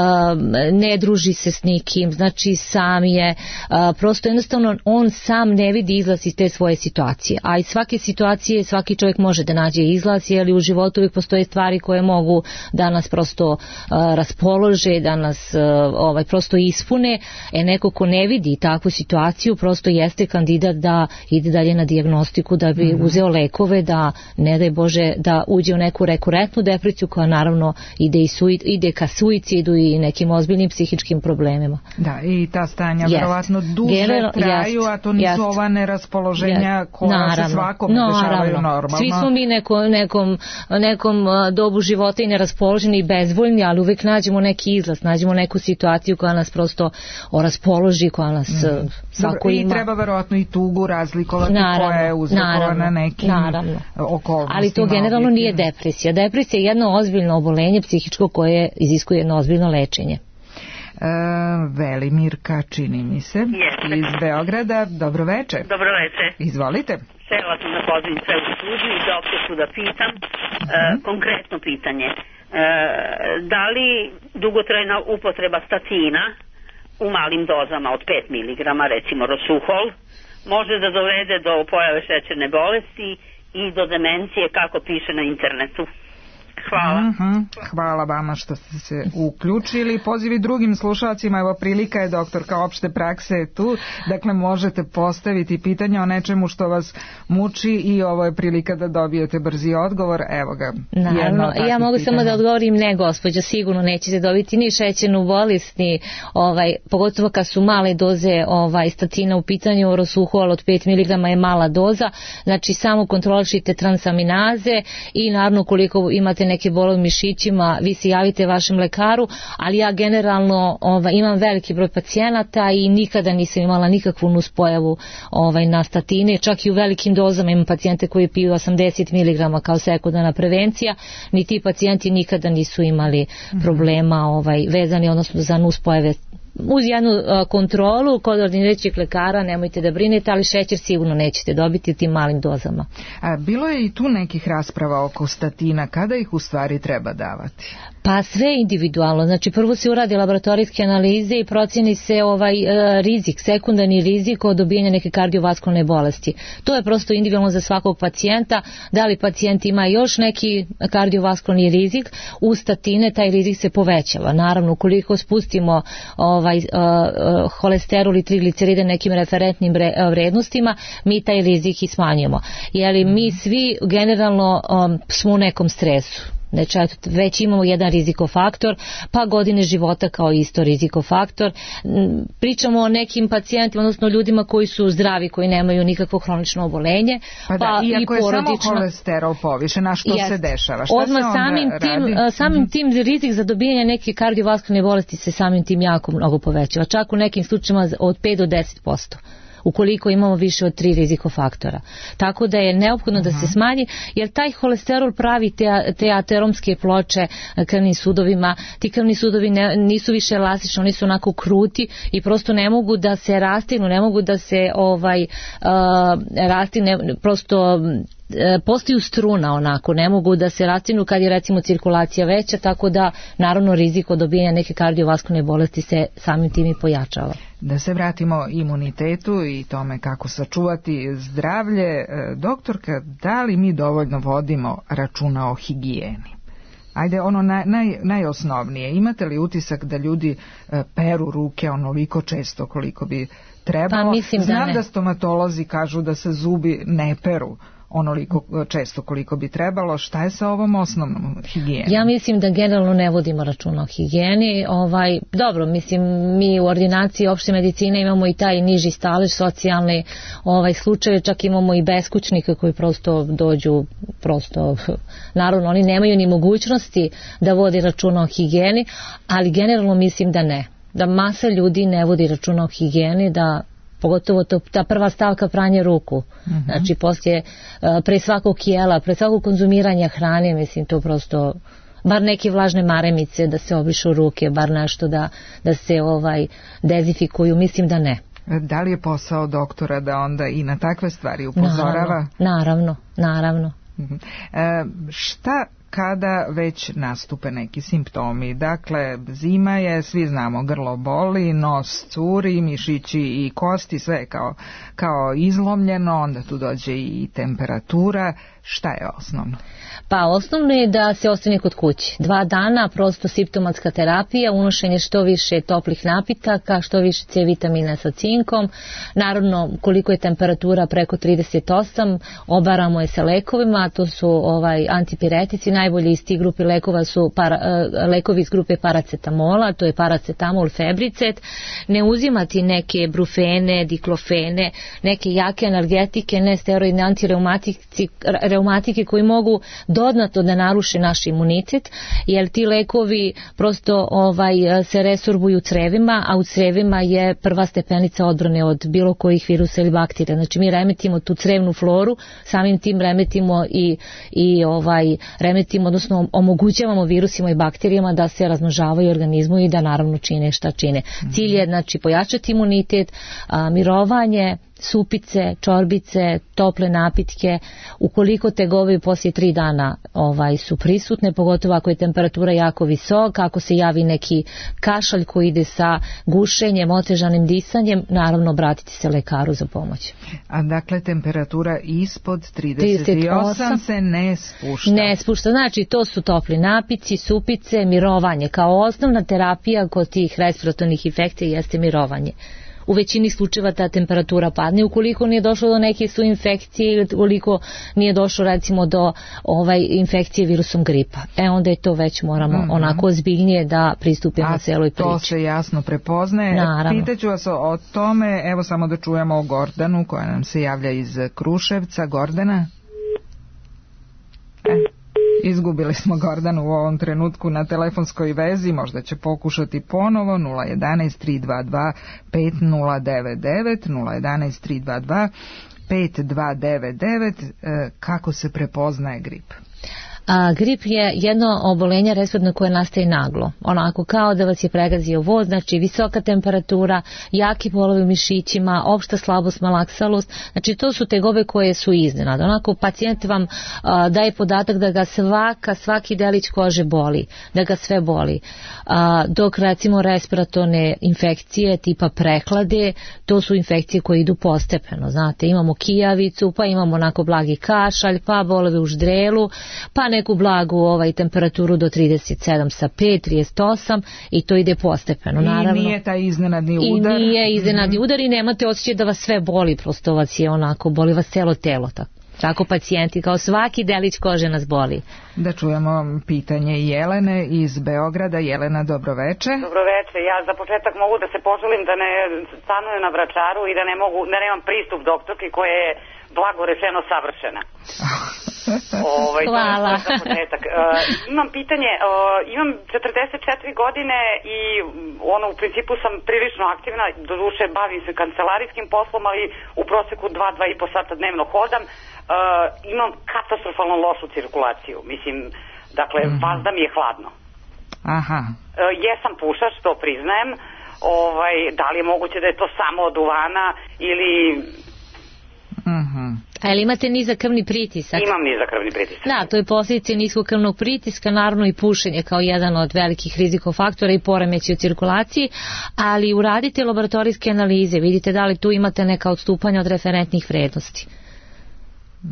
S4: ne druži se s nikim, znači sam je, uh, prosto jednostavno on sam ne vidi izlaz iz te svoje situacije. A iz svake situacije svaki čovjek može da nađe izlaz, jer u životu uvijek postoje stvari koje mogu da nas prosto uh, raspolože, da nas uh, ovaj, prosto ispune. E neko ko ne vidi takvu situaciju prosto jeste kandidat da ide dalje na dijagnostiku, da bi mm-hmm. uzeo lekove, da ne daj Bože da uđe u neku rekurentnu depresiju koja naravno ide, i suid, ide ka suicidu i nekim ozbiljnim psihičkim problemima.
S3: Da, i ta stanja vjerovatno duže General, traju, jest, a to nisu jest, ova neraspoloženja jest, koja naravno, se svakom no, dešavaju normalno.
S4: Svi smo mi neko, nekom, nekom dobu života i neraspoloženi i bezvoljni, ali uvek nađemo neki izlaz, nađemo neku situaciju koja nas prosto raspoloži, koja nas mm. svako ima.
S3: I treba verovatno i tugu razlikovati naravno, koja je uzrokovana nekim naravno. okolnostima.
S4: Ali to generalno nije depresija. Depresija je jedno ozbiljno obolenje psihičko koje iziskuje jedno ozbiljno lečenje.
S3: E, Velimirka, čini mi se,
S10: Jeste.
S3: iz Beograda. Dobro veče.
S10: Dobro veče.
S3: Izvolite.
S10: Sela sam da pozivim sve u studiju i doktorku da pitam mm-hmm. e, konkretno pitanje. E, da li dugotrajna upotreba statina u malim dozama od pet miligrama, recimo Rosuhol, može da dovede do pojave šećerne bolesti i do demencije, kako piše na internetu? hvala.
S3: Mm-hmm. Hvala vama što ste se uključili. Pozivi drugim slušalcima, evo prilika je, doktorka opšte prakse je tu, dakle možete postaviti pitanje o nečemu što vas muči i ovo je prilika da dobijete brzi odgovor. Evo ga.
S4: Naravno, ja mogu pitanja. Samo da odgovorim, ne gospođo, sigurno nećete dobiti ni šećernu bolest, ni ovaj, pogotovo kad su male doze ovaj, statina u pitanju, rosuhol od pet miligrama je mala doza, znači samo kontrolišite transaminaze i naravno koliko imate neke bolove u mišićima, vi se javite vašem lekaru, ali ja generalno ovaj, imam veliki broj pacijenata i nikada nisam imala nikakvu nuspojavu ovaj, na statine, čak i u velikim dozama imam pacijente koji piju osamdeset miligrama kao sekundarna prevencija, ni ti pacijenti nikada nisu imali problema ovaj, vezani odnosno za nuspojave. Uz jednu uh, kontrolu kod ordinirajućeg lekara nemojte da brinete, ali šećer sigurno nećete dobiti u tim malim dozama.
S3: A, bilo je i tu nekih rasprava oko statina, kada ih u stvari treba davati?
S4: Pa sve individualno, znači prvo se uradi laboratorijske analize i procjeni se ovaj e, rizik, sekundarni rizik od dobijanja neke kardiovaskularne bolesti. To je prosto individualno za svakog pacijenta, da li pacijent ima još neki kardiovaskularni rizik, u statine taj rizik se povećava. Naravno, ukoliko spustimo ovaj, e, e, holesterol i trigliceride nekim referentnim vrednostima, mi taj rizik i smanjujemo. Jer mi svi generalno um, smo u nekom stresu. Znači, već imamo jedan rizikofaktor, pa godine života kao isto rizikofaktor. Pričamo o nekim pacijentima, odnosno ljudima koji su zdravi, koji nemaju nikakvo hronično obolenje.
S3: Pa da,
S4: pa
S3: iako
S4: i porodično.
S3: Je samo holesterol povišen, a što
S4: Jest.
S3: se dešava? Šta
S4: Odmah
S3: se onda
S4: samim
S3: radi?
S4: tim, samim mm-hmm. tim rizik za dobijanje neke kardiovaskularne bolesti se samim tim jako mnogo povećava. Čak u nekim slučajima od pet do deset posto. Ukoliko imamo više od tri rizikofaktora. Tako da je neophodno da se smanji, jer taj holesterol pravi te, te ateromske ploče krvnim sudovima, ti krvni sudovi ne, nisu više elastični, oni su onako kruti i prosto ne mogu da se rastinu, ne mogu da se ovaj, uh, rastine, prosto postaju struna onako, ne mogu da se rastinu kad je recimo cirkulacija veća, tako da naravno rizik od dobijanja neke kardiovaskularne bolesti se samim tim i pojačava.
S3: Da se vratimo imunitetu i tome kako sačuvati zdravlje, doktorka, da li mi dovoljno vodimo računa o higijeni? Ajde, ono naj, naj, najosnovnije, imate li utisak da ljudi peru ruke onoliko često koliko bi trebalo?
S4: Pa mislim
S3: Znam
S4: da, ne.
S3: da stomatolozi kažu da se zubi ne peru onoliko često koliko bi trebalo. Šta je sa ovom osnovnom higijenom?
S4: Ja mislim da generalno ne vodimo računa o higijeni. Ovaj, dobro, mislim, mi u ordinaciji opšte medicine imamo i taj niži stalež, socijalni ovaj, slučaje, čak imamo i beskućnike koji prosto dođu, prosto, naravno, oni nemaju ni mogućnosti da vodi računa o higijeni, ali generalno mislim da ne. Da masa ljudi ne vodi računa o higijeni, da pogotovo to, ta prva stavka pranje ruku. Uh-huh. Znači poslije, pre svakog jela, pre svakog konzumiranja hrane, mislim to prosto, bar neke vlažne maremice da se obrišu ruke, bar nešto da, da se ovaj dezifikuju, mislim da ne.
S3: Da li je posao doktora da onda i na takve stvari upozorava?
S4: Naravno, naravno. naravno.
S3: Uh-huh. E, šta kada već nastupe neki simptomi? Dakle, zima je, svi znamo, grlo boli, nos curi, mišići i kosti, sve kao, kao izlomljeno, onda tu dođe i temperatura. Šta je osnovno?
S4: Pa osnovno je da se ostane kod kuće. Dva dana prosto simptomatska terapija, unošenje što više toplih napitaka, što više C vitamina sa cinkom. Naravno, koliko je temperatura preko trideset osam, obaramo je sa lekovima, to su ovaj antipiretici, najbolji iz tih grupe lekova su para, lekovi iz grupe paracetamola, to je paracetamol, febricet. Ne uzimati neke brufene, diklofene, neke jake analgetike, ne steroidne antireumatike koji mogu dodatno da naruše naš imunitet, jer ti lekovi prosto ovaj se resorbuju u crevima, a u crevima je prva stepenica odbrane od bilo kojih virusa ili bakterija. Znači mi remetimo tu crevnu floru, samim tim remetimo i, i ovaj remetimo, odnosno omogućavamo virusima i bakterijama da se razmnožavaju u organizmu i da naravno čine šta čine. Mm-hmm. Cilj je znači pojačati imunitet, a, mirovanje, supice, čorbice, tople napitke, ukoliko tegobe poslije tri dana ovaj, su prisutne, pogotovo ako je temperatura jako visoka, ako se javi neki kašalj koji ide sa gušenjem, otežanim disanjem, naravno obratiti se lekaru za pomoć.
S3: A dakle temperatura ispod trideset osam se ne spušta?
S4: Ne spušta, znači to su topli napici, supice, mirovanje. Kao osnovna terapija kod tih respiratornih infekcija jeste mirovanje. U većini slučajeva ta temperatura padne, ukoliko nije došlo do neke su infekcije ili ukoliko nije došlo recimo do ovaj, infekcije virusom gripa. E onda je to već moramo mm-hmm. onako ozbiljnije da pristupimo
S3: a
S4: celoj priči.
S3: To se jasno prepoznaje.
S4: Naravno.
S3: Pitaću vas o, o tome, evo samo da čujemo o Gordanu koja nam se javlja iz Kruševca. Gordana? E. Izgubili smo Gordanu u ovom trenutku na telefonskoj vezi, možda će pokušati ponovo. Nula jedanaest tri dva dva pet nula devet devet, nula jedanaest tri dva dva pet dva devet devet. Kako se prepoznaje grip?
S4: A, grip je jedno obolenje respiratorno koje nastaje naglo, onako kao da vas je pregazio voz, znači visoka temperatura, jaki bolovi u mišićima, opšta slabost, malaksalost, znači to su tegobe koje su iznenada. Onako pacijent vam a, daje podatak da ga svaka, svaki delić kože boli, da ga sve boli. A, dok recimo respiratorne infekcije tipa prehlade, to su infekcije koje idu postepeno, znate, imamo kijavicu, pa imamo onako blagi kašalj, pa bolovi u ždrelu, pa neku blagu ovaj, temperaturu do trideset sedam sa pet, trideset osam i to ide postepeno. Naravno.
S3: I nije taj iznenadni udar.
S4: I nije iznenadni mm-hmm. udar i nemate osjećaj da vas sve boli, prosto vas je onako, boli vas celo telo. Tako, tako pacijenti, kao svaki delić kože nas boli.
S3: Da čujemo pitanje Jelene iz Beograda. Jelena, dobroveče.
S11: Dobroveče, ja za početak mogu da se poželim da ne stanujem na Vračaru i da ne mogu, da nemam pristup doktorki koja je blago rečeno savršena. Ovaj,
S4: Hvala.
S11: To je za početak. Uh, imam pitanje, uh, imam četrdeset četiri godine i ono, u principu sam prilično aktivna, doduše bavim se kancelarijskim poslom, ali u proseku dva, dva i po sata dnevno hodam. Uh, imam katastrofalno lošu cirkulaciju, mislim, dakle, mm-hmm. vazda mi je hladno.
S3: Aha.
S11: Uh, jesam pušač, to priznajem. Ovaj, da li je moguće da je to samo od duvana ili...
S3: Mhm.
S4: A ili imate nizak krvni pritisak?
S11: Imam nizak krvni pritisak.
S4: Da, to je posljedica niskog krvnog pritiska, naravno i pušenje kao jedan od velikih rizikofaktora i poremeći u cirkulaciji, ali uradite laboratorijske analize, vidite da li tu imate neka odstupanja od referentnih vrednosti.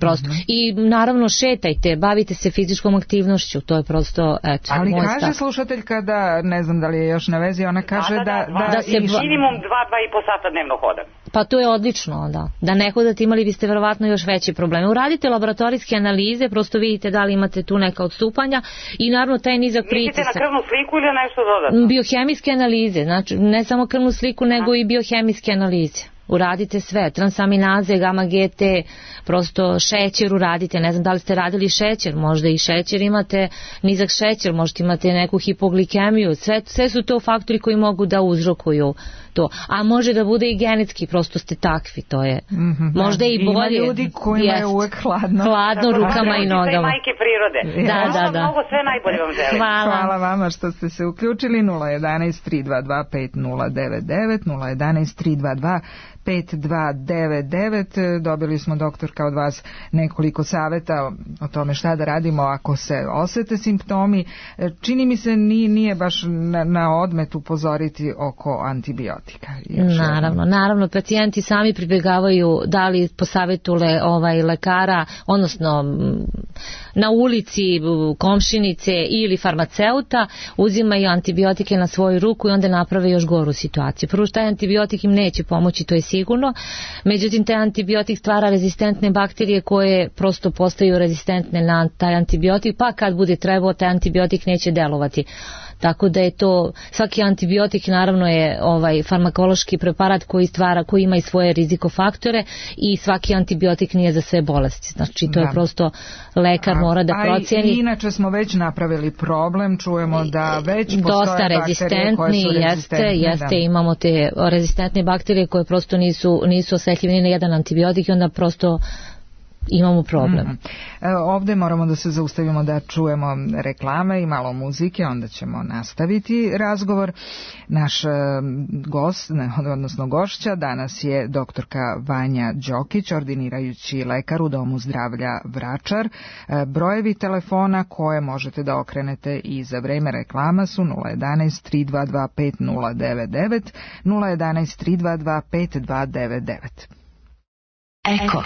S4: Prosto. Mm-hmm. I naravno šetajte, bavite se fizičkom aktivnošću, to je prosto, eto.
S3: Ali kaže
S4: stav.
S3: Slušateljka da, ne znam da li je još na vezi, ona kaže da...
S11: Da, da, da,
S3: da,
S11: da se
S3: i...
S11: minimum dva, dva i po sata dnevno hodam.
S4: Pa to je odlično, da. Da ne hodate, imali biste verovatno još veće probleme. Uradite laboratorijske analize, prosto vidite da li imate tu neka odstupanja i naravno taj nizak pritisak.
S11: Mislite na krvnu sliku ili nešto dodatno?
S4: Biohemijske analize, znači ne samo krvnu sliku, nego Aha. i biohemijske analize. Uradite sve, transaminaze, gamma G T, prosto šećer uradite, ne znam da li ste radili šećer, možda i šećer imate, nizak šećer, možda imate neku hipoglikemiju, sve, sve su to faktori koji mogu da uzrokuju to, a može da bude i genetski, prosto ste takvi, to je, mm-hmm, možda i bolje.
S3: Ima ljudi kojima jest, je uvek hladno.
S4: Hladno
S11: tako,
S4: rukama i nogama.
S11: Sve majke prirode.
S4: Da, da, da.
S11: Mnogo sve najbolje vam želim.
S4: Hvala.
S3: Hvala vama što ste se uključili. Nula jedanaest tri dva dva pet nula devet devet, nula jedanaest tri dva dva pet dva devet devet. Dobili smo, doktorka, od vas nekoliko saveta o tome šta da radimo ako se osete simptomi. Čini mi se nije, nije baš na, na odmet upozoriti oko antibiotika.
S4: Naravno, naravno, pacijenti sami pribjegavaju da li po savjetu le, ovaj, lekara, odnosno na ulici, komšinice ili farmaceuta, uzimaju antibiotike na svoju ruku i onda naprave još goru situaciju. Prvo što taj antibiotik im neće pomoći, to je sigurno, međutim taj antibiotik stvara rezistentne bakterije koje prosto postaju rezistentne na taj antibiotik, pa kad bude trebao taj antibiotik neće delovati. Tako da je to, svaki antibiotik naravno je ovaj farmakološki preparat koji stvara, koji ima i svoje rizikofaktore i svaki antibiotik nije za sve bolesti. Znači to da. je prosto lekar a, mora da procjeni.
S3: A inače smo već napravili problem, čujemo da već postoje
S4: dosta rezistentni,
S3: koje su rezistentne.
S4: Jeste, jeste, da. Imamo te rezistentne bakterije koje prosto nisu, nisu osetljive ni na jedan antibiotik i onda prosto imamo problem.
S3: Mm-hmm. Ovde moramo da se zaustavimo da čujemo reklame i malo muzike, onda ćemo nastaviti razgovor. Naš gost, odnosno gošća, danas je doktorka Vanja Đokić, ordinirajući lekar u Domu zdravlja Vračar. Brojevi telefona koje možete da okrenete i za vreme reklama su nula jedanaest tri dva dva pet nula devet devet, nula jedanaest tri dva dva pet dva devet devet.
S2: Eko.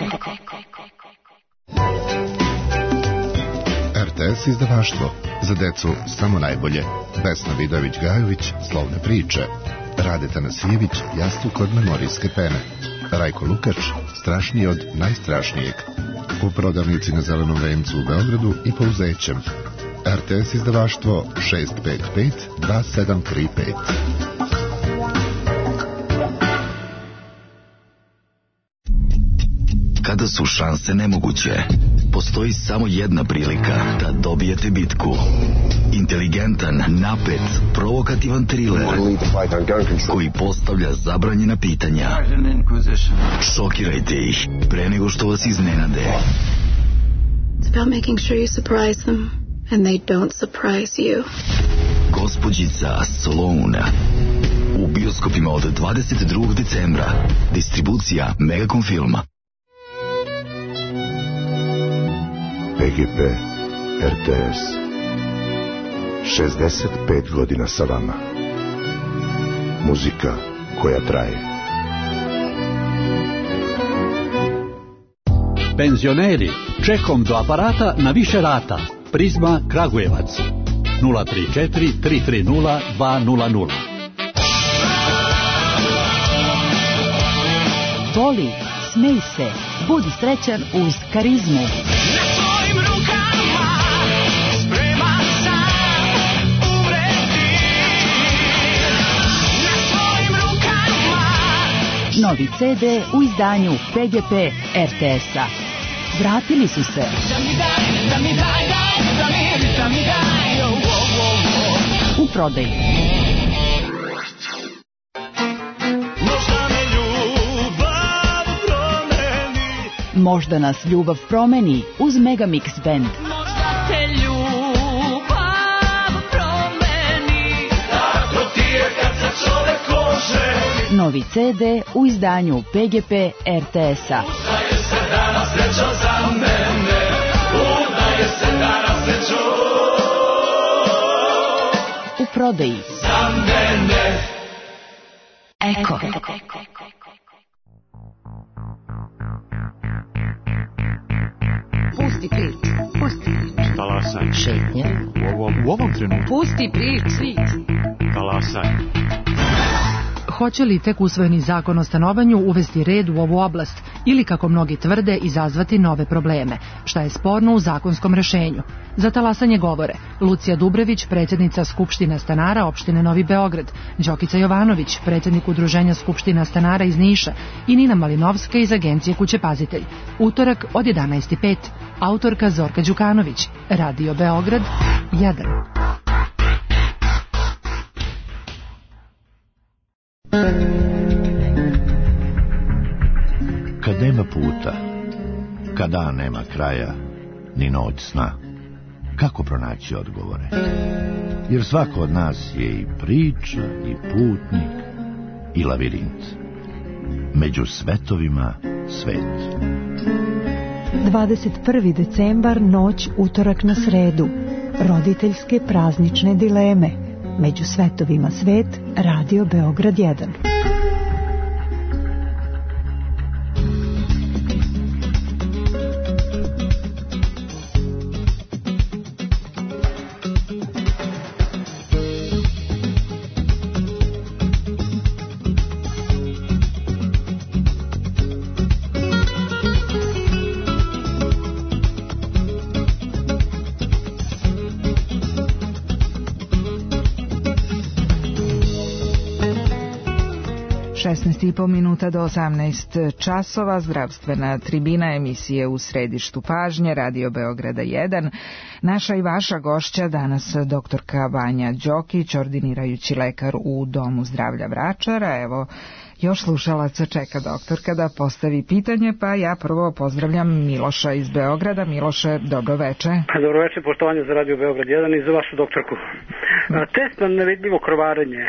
S12: R T S izdavaštvo, za decu samo najbolje. Vesna Vidović-Gajović, Slovne priče. Radeta Nasijević, Jastuk od memorijske pene. Rajko Lukač, Strašniji od najstrašnijeg. U prodavnici na Zelenom vencu u Beogradu i po Uzećem. R T S izdavaštvo šest pet pet dva sedam tri pet.
S13: Kada su šanse nemoguće, postoji samo jedna prilika da dobijete bitku. Inteligentan, napet, provokativan triler koji postavlja zabranjena pitanja. Šokirajte ih pre nego što vas iznenade.
S14: It's about making sure you surprise them and they don't surprise you.
S13: Gospođica Sloane. U bioskopima od dvadeset drugog decembra. Distribucija Megacom Filma.
S15: P G P, R T S, šezdeset pet godina sa vama. Muzika koja traje.
S16: Penzioneri, čekom do aparata na više rata. Prizma Kragujevac, nula tri četiri tri tri nula dva nula nula.
S2: Voli, smej se, budi srećan uz Karizmu. Novi C D u izdanju P G P R T S-a. Vratili su se. U prodaji. Možda nas ljubav promeni uz Megamix Band. Novi C D u izdanju P G P R T S-a. U prodaji. Eko.
S17: Pusti prič, pusti prič.
S18: Talasaj.
S17: Šetnje.
S18: U ovom, u ovom trenutku.
S17: Pusti prič, prič.
S18: Talasaj.
S19: Hoće li tek usvojeni zakon o stanovanju uvesti red u ovu oblast ili, kako mnogi tvrde, izazvati nove probleme? Šta je sporno u zakonskom rešenju? Za talasanje govore Lucija Dubrević, predsjednica Skupština stanara opštine Novi Beograd, Đokica Jovanović, predsjednik Udruženja Skupština stanara iz Niša i Nina Malinovska iz agencije Kuće Pazitelj. Utorak od jedanaest i pet. Autorka Zorka Đukanović. Radio Beograd jedan.
S20: Kad nema puta, kad dan nema kraja, ni noć sna, kako pronaći odgovore? Jer svako od nas je i priča, i putnik, i lavirint. Među svetovima svet.
S21: dvadeset prvi decembar, noć utorak na sredu. Roditeljske praznične dileme. Među svetovima svet, Radio Beograd jedan.
S3: šesnaest i po minuta do osamnaest časova, zdravstvena tribina emisije U središtu pažnje, Radio Beograda jedan. Naša i vaša gošća danas doktorka Vanja Đokić, ordinirajući lekar u Domu zdravlja Vračara. Evo, još slušalaca čeka doktorka da postavi pitanje, pa ja prvo pozdravljam Miloša iz Beograda. Miloše, dobro veče.
S1: Dobro veče, poštovanje za Radio Beograd jedan i za vašu doktorku. Test na nevidljivo krvarenje,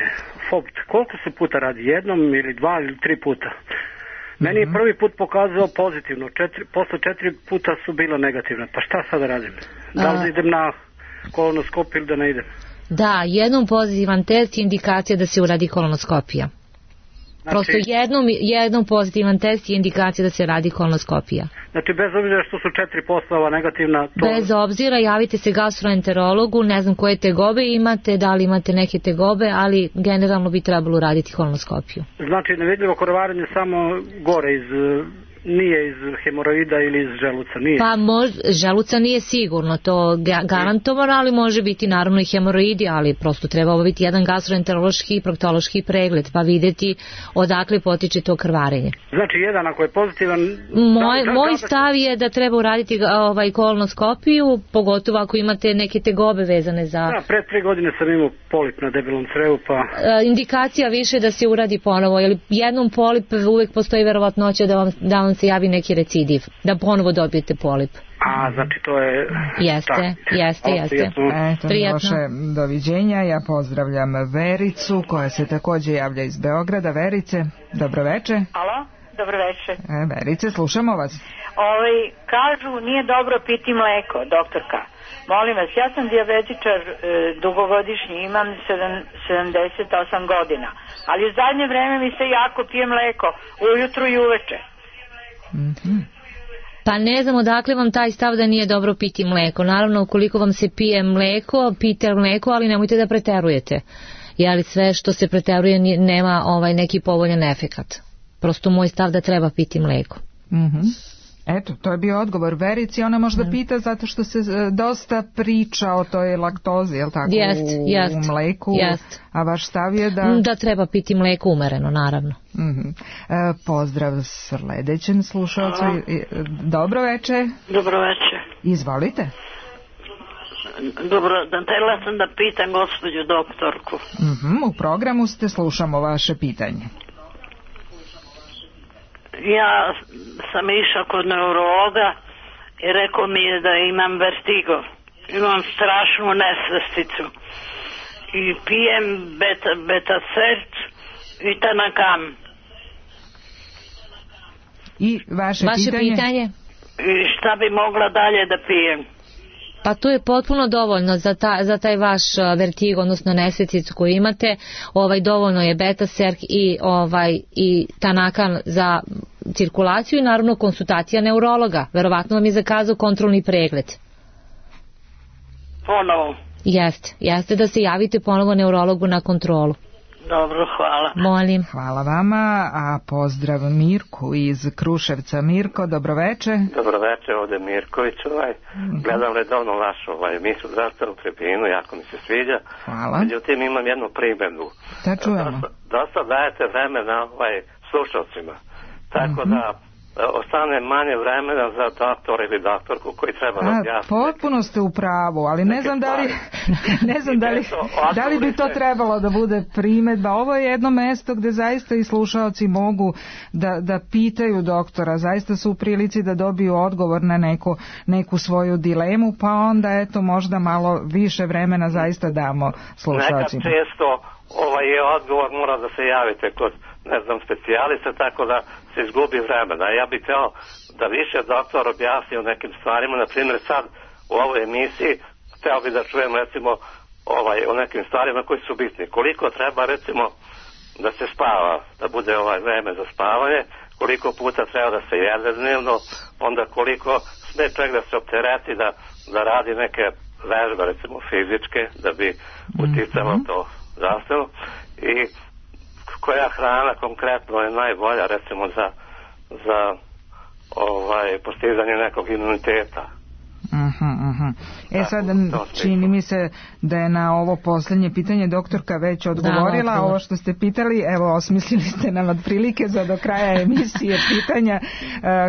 S1: F O B T, koliko se puta radi? Jednom ili dva ili tri puta? Meni je prvi put pokazao pozitivno, četiri, posle četiri puta su bila negativna. Pa šta sada radim? Da li idem na kolonoskopiju ili da ne idem?
S4: Da, jednom pozitivan test je indikacija da se uradi kolonoskopija. Znači, prosto jednom, jednom pozitivan test je indikacija da se radi kolonoskopija.
S1: Znači bez obzira što su četiri postava negativna... To... Bez
S4: obzira, javite se gastroenterologu, ne znam koje tegobe imate, da li imate neke tegobe, ali generalno bi trebalo raditi kolonoskopiju.
S1: Znači nevidljivo krvarenje samo gore iz... nije iz hemoroida ili iz želuca, nije?
S4: Pa mož, želuca nije sigurno, to garantovano, ali može biti naravno i hemoroidi, ali prosto treba obaviti jedan gastroenterološki i proktološki pregled, pa vidjeti odakle potiče to krvarenje.
S1: Znači jedan ako je pozitivan...
S4: Moj, da, moj stav je da treba uraditi ovaj, kolonoskopiju, pogotovo ako imate neke tegobe vezane za...
S1: Da, pre tri godine sam imao polip na debelom crevu, pa...
S4: E, indikacija više da se uradi ponovo, jer jednom polip uvek postoji verovatnoća da vam, da vam se javi neki recidiv, da ponovo dobijete polip.
S1: A, znači to je...
S4: Jeste,
S1: tak.
S4: jeste, jeste.
S3: Eto, Miloše, doviđenja. Ja pozdravljam Vericu, koja se također javlja iz Beograda. Verice, dobroveče.
S22: Alo, dobroveče.
S3: E, Verice, slušamo vas.
S22: Ovaj, kažu, nije dobro piti mleko, doktorka. Molim vas, ja sam dijabetičar e, dugogodišnji, imam sedamdeset osam godina, ali u zadnje vreme mi se jako pije mleko, ujutru i uveče.
S4: Mm-hmm. Pa ne znam odakle vam taj stav da nije dobro piti mleko. Naravno, ukoliko vam se pije mleko, pijte mleko, ali nemojte da preterujete. Jer sve što se preteruje nema ovaj neki povoljan efekat. Prosto moj stav da treba piti mleko.
S3: Mhm. Eto, to je bio odgovor Verici. Ona možda mm. pita zato što se dosta priča o toj laktozi, je li tako,
S4: jest,
S3: u,
S4: jest,
S3: u mleku,
S4: jest.
S3: A vaš stav je da...
S4: Da treba piti mleko umereno, naravno.
S3: Mm-hmm. E, pozdrav sledećem slušalcu. Dobro veče.
S23: Dobro veče.
S3: Izvolite.
S23: Dobro, da htjela sam da pitam gospođu doktorku.
S3: Mm-hmm, u programu ste, slušamo vaše pitanje.
S23: Ja sam išao kod neurologa i rekao mi je da imam vertigo. Imam strašnu nesvesticu. I pijem beta, betacert i tanakam.
S3: I vaše,
S4: vaše pitanje? pitanje?
S23: I šta bi mogla dalje da pijem?
S4: Pa to je potpuno dovoljno za, ta, za taj vaš vertigo, odnosno nesvesticu koju imate. Ovaj, dovoljno je betaserk i, ovaj, i tanakan za cirkulaciju i naravno konsultacija neurologa. Verovatno vam je zakazao kontrolni pregled.
S23: Ponovo?
S4: Jeste, jeste da se javite ponovo neurologu na kontrolu.
S23: Dobro, hvala.
S4: Molim.
S3: Hvala vama, a pozdrav Mirku iz Kruševca. Mirko, dobroveče.
S24: Dobroveče, ovdje Mirković. Ovaj. Mm-hmm. Gledam redovno vašu ovaj, emisiju zdravstvenu tribinu, jako mi se sviđa.
S3: Hvala.
S24: Međutim, imam jednu primjedbu.
S3: Da čujemo.
S24: Dosta, dosta dajete vremena ovaj, slušalcima. Tako mm-hmm. da ostane manje vremena za doktora ili doktorku koji treba da objasniti.
S3: Potpuno ste u pravu, ali ne znam da li ne znam da li, da li bi to trebalo da bude primedba. Ovo je jedno mesto gde zaista i slušaoci mogu da, da pitaju doktora, zaista su u prilici da dobiju odgovor na neku, neku svoju dilemu, pa onda eto možda malo više vremena zaista damo slušaocima.
S24: Nekad često ovaj je odgovor, mora da se javite kod, ne znam, specijalista, tako da se izgubi vremena. Ja bih htio da više doktor objasni o nekim stvarima, na primjer sad u ovoj emisiji htio bih da čujem recimo ovaj, o nekim stvarima koji su bitni. Koliko treba recimo da se spava, da bude ovaj vreme za spavanje, koliko puta treba da se jede dnevno, onda koliko sme čovjek da se optereti, da, da radi neke vežbe recimo fizičke, da bi uticalo to zdravstveno, i koja hrana konkretno je najbolja recimo za, za ovaj, postizanje nekog imuniteta.
S3: Uh-huh, uh-huh. E sad, čini mi se da je na ovo posljednje pitanje doktorka već odgovorila. Da, ovo što ste pitali, evo, osmislili ste nam otprilike za do kraja emisije pitanja.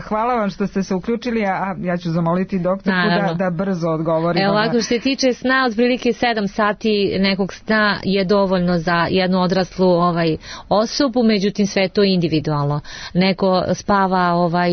S3: Hvala vam što ste se uključili, a ja ću zamoliti doktorku da, da brzo odgovori.
S4: Evo, ovako, što se tiče sna, otprilike sedam sati nekog sna je dovoljno za jednu odraslu ovaj, osobu, međutim sve to individualno. Neko spava, ovaj,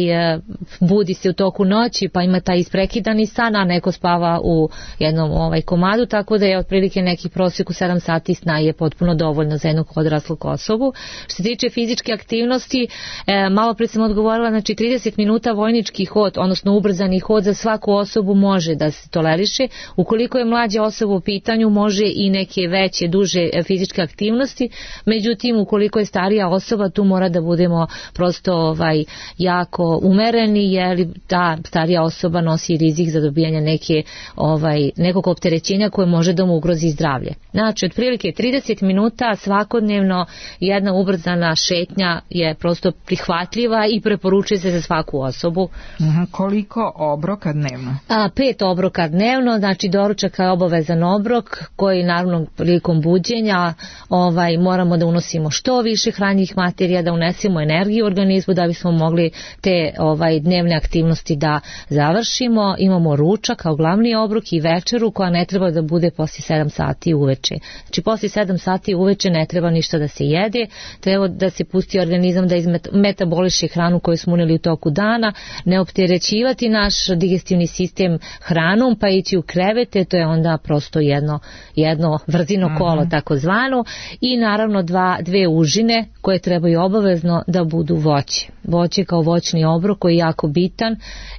S4: budi se u toku noći, pa ima taj isprekidani san, a neko spava u jednom ovaj, komadu, tako da je otprilike neki prosjek u sedam sati sna je potpuno dovoljno za jednog odraslog osobu. Što se tiče fizičke aktivnosti, e, malo pre sam odgovorila, znači trideset minuta vojnički hod, odnosno ubrzani hod za svaku osobu može da se toleriše. Ukoliko je mlađa osoba u pitanju, može i neke veće, duže fizičke aktivnosti, međutim, ukoliko je starija osoba, tu mora da budemo prosto ovaj, jako umereni, jer ta starija osoba nosi rizik za dobijanje neke, ovaj, nekog opterećenja koje može da mu ugrozi zdravlje. Znači, otprilike trideset minuta svakodnevno jedna ubrzana šetnja je prosto prihvatljiva i preporučuje se za svaku osobu.
S3: Uh-huh. Koliko obroka dnevno?
S4: A, pet obroka dnevno, znači doručak je obavezan obrok koji naravno prilikom buđenja ovaj, moramo da unosimo što više hranjivih materija, da unesemo energiju u organizmu da bismo mogli te ovaj, dnevne aktivnosti da završimo. Imamo ručak kao glavni obrok i večeru koja ne treba da bude poslije sedam sati uveče. Znači poslije sedam sati uveče ne treba ništa da se jede, treba da se pusti organizam da izmetaboliše hranu koju smo uneli u toku dana, ne opterećivati naš digestivni sistem hranom pa ići u krevete, to je onda prosto jedno, jedno vrzino kolo mm-hmm. takozvano, i naravno dva, dve užine koje trebaju obavezno da budu voće. Voće kao voćni obrok koji je jako bitan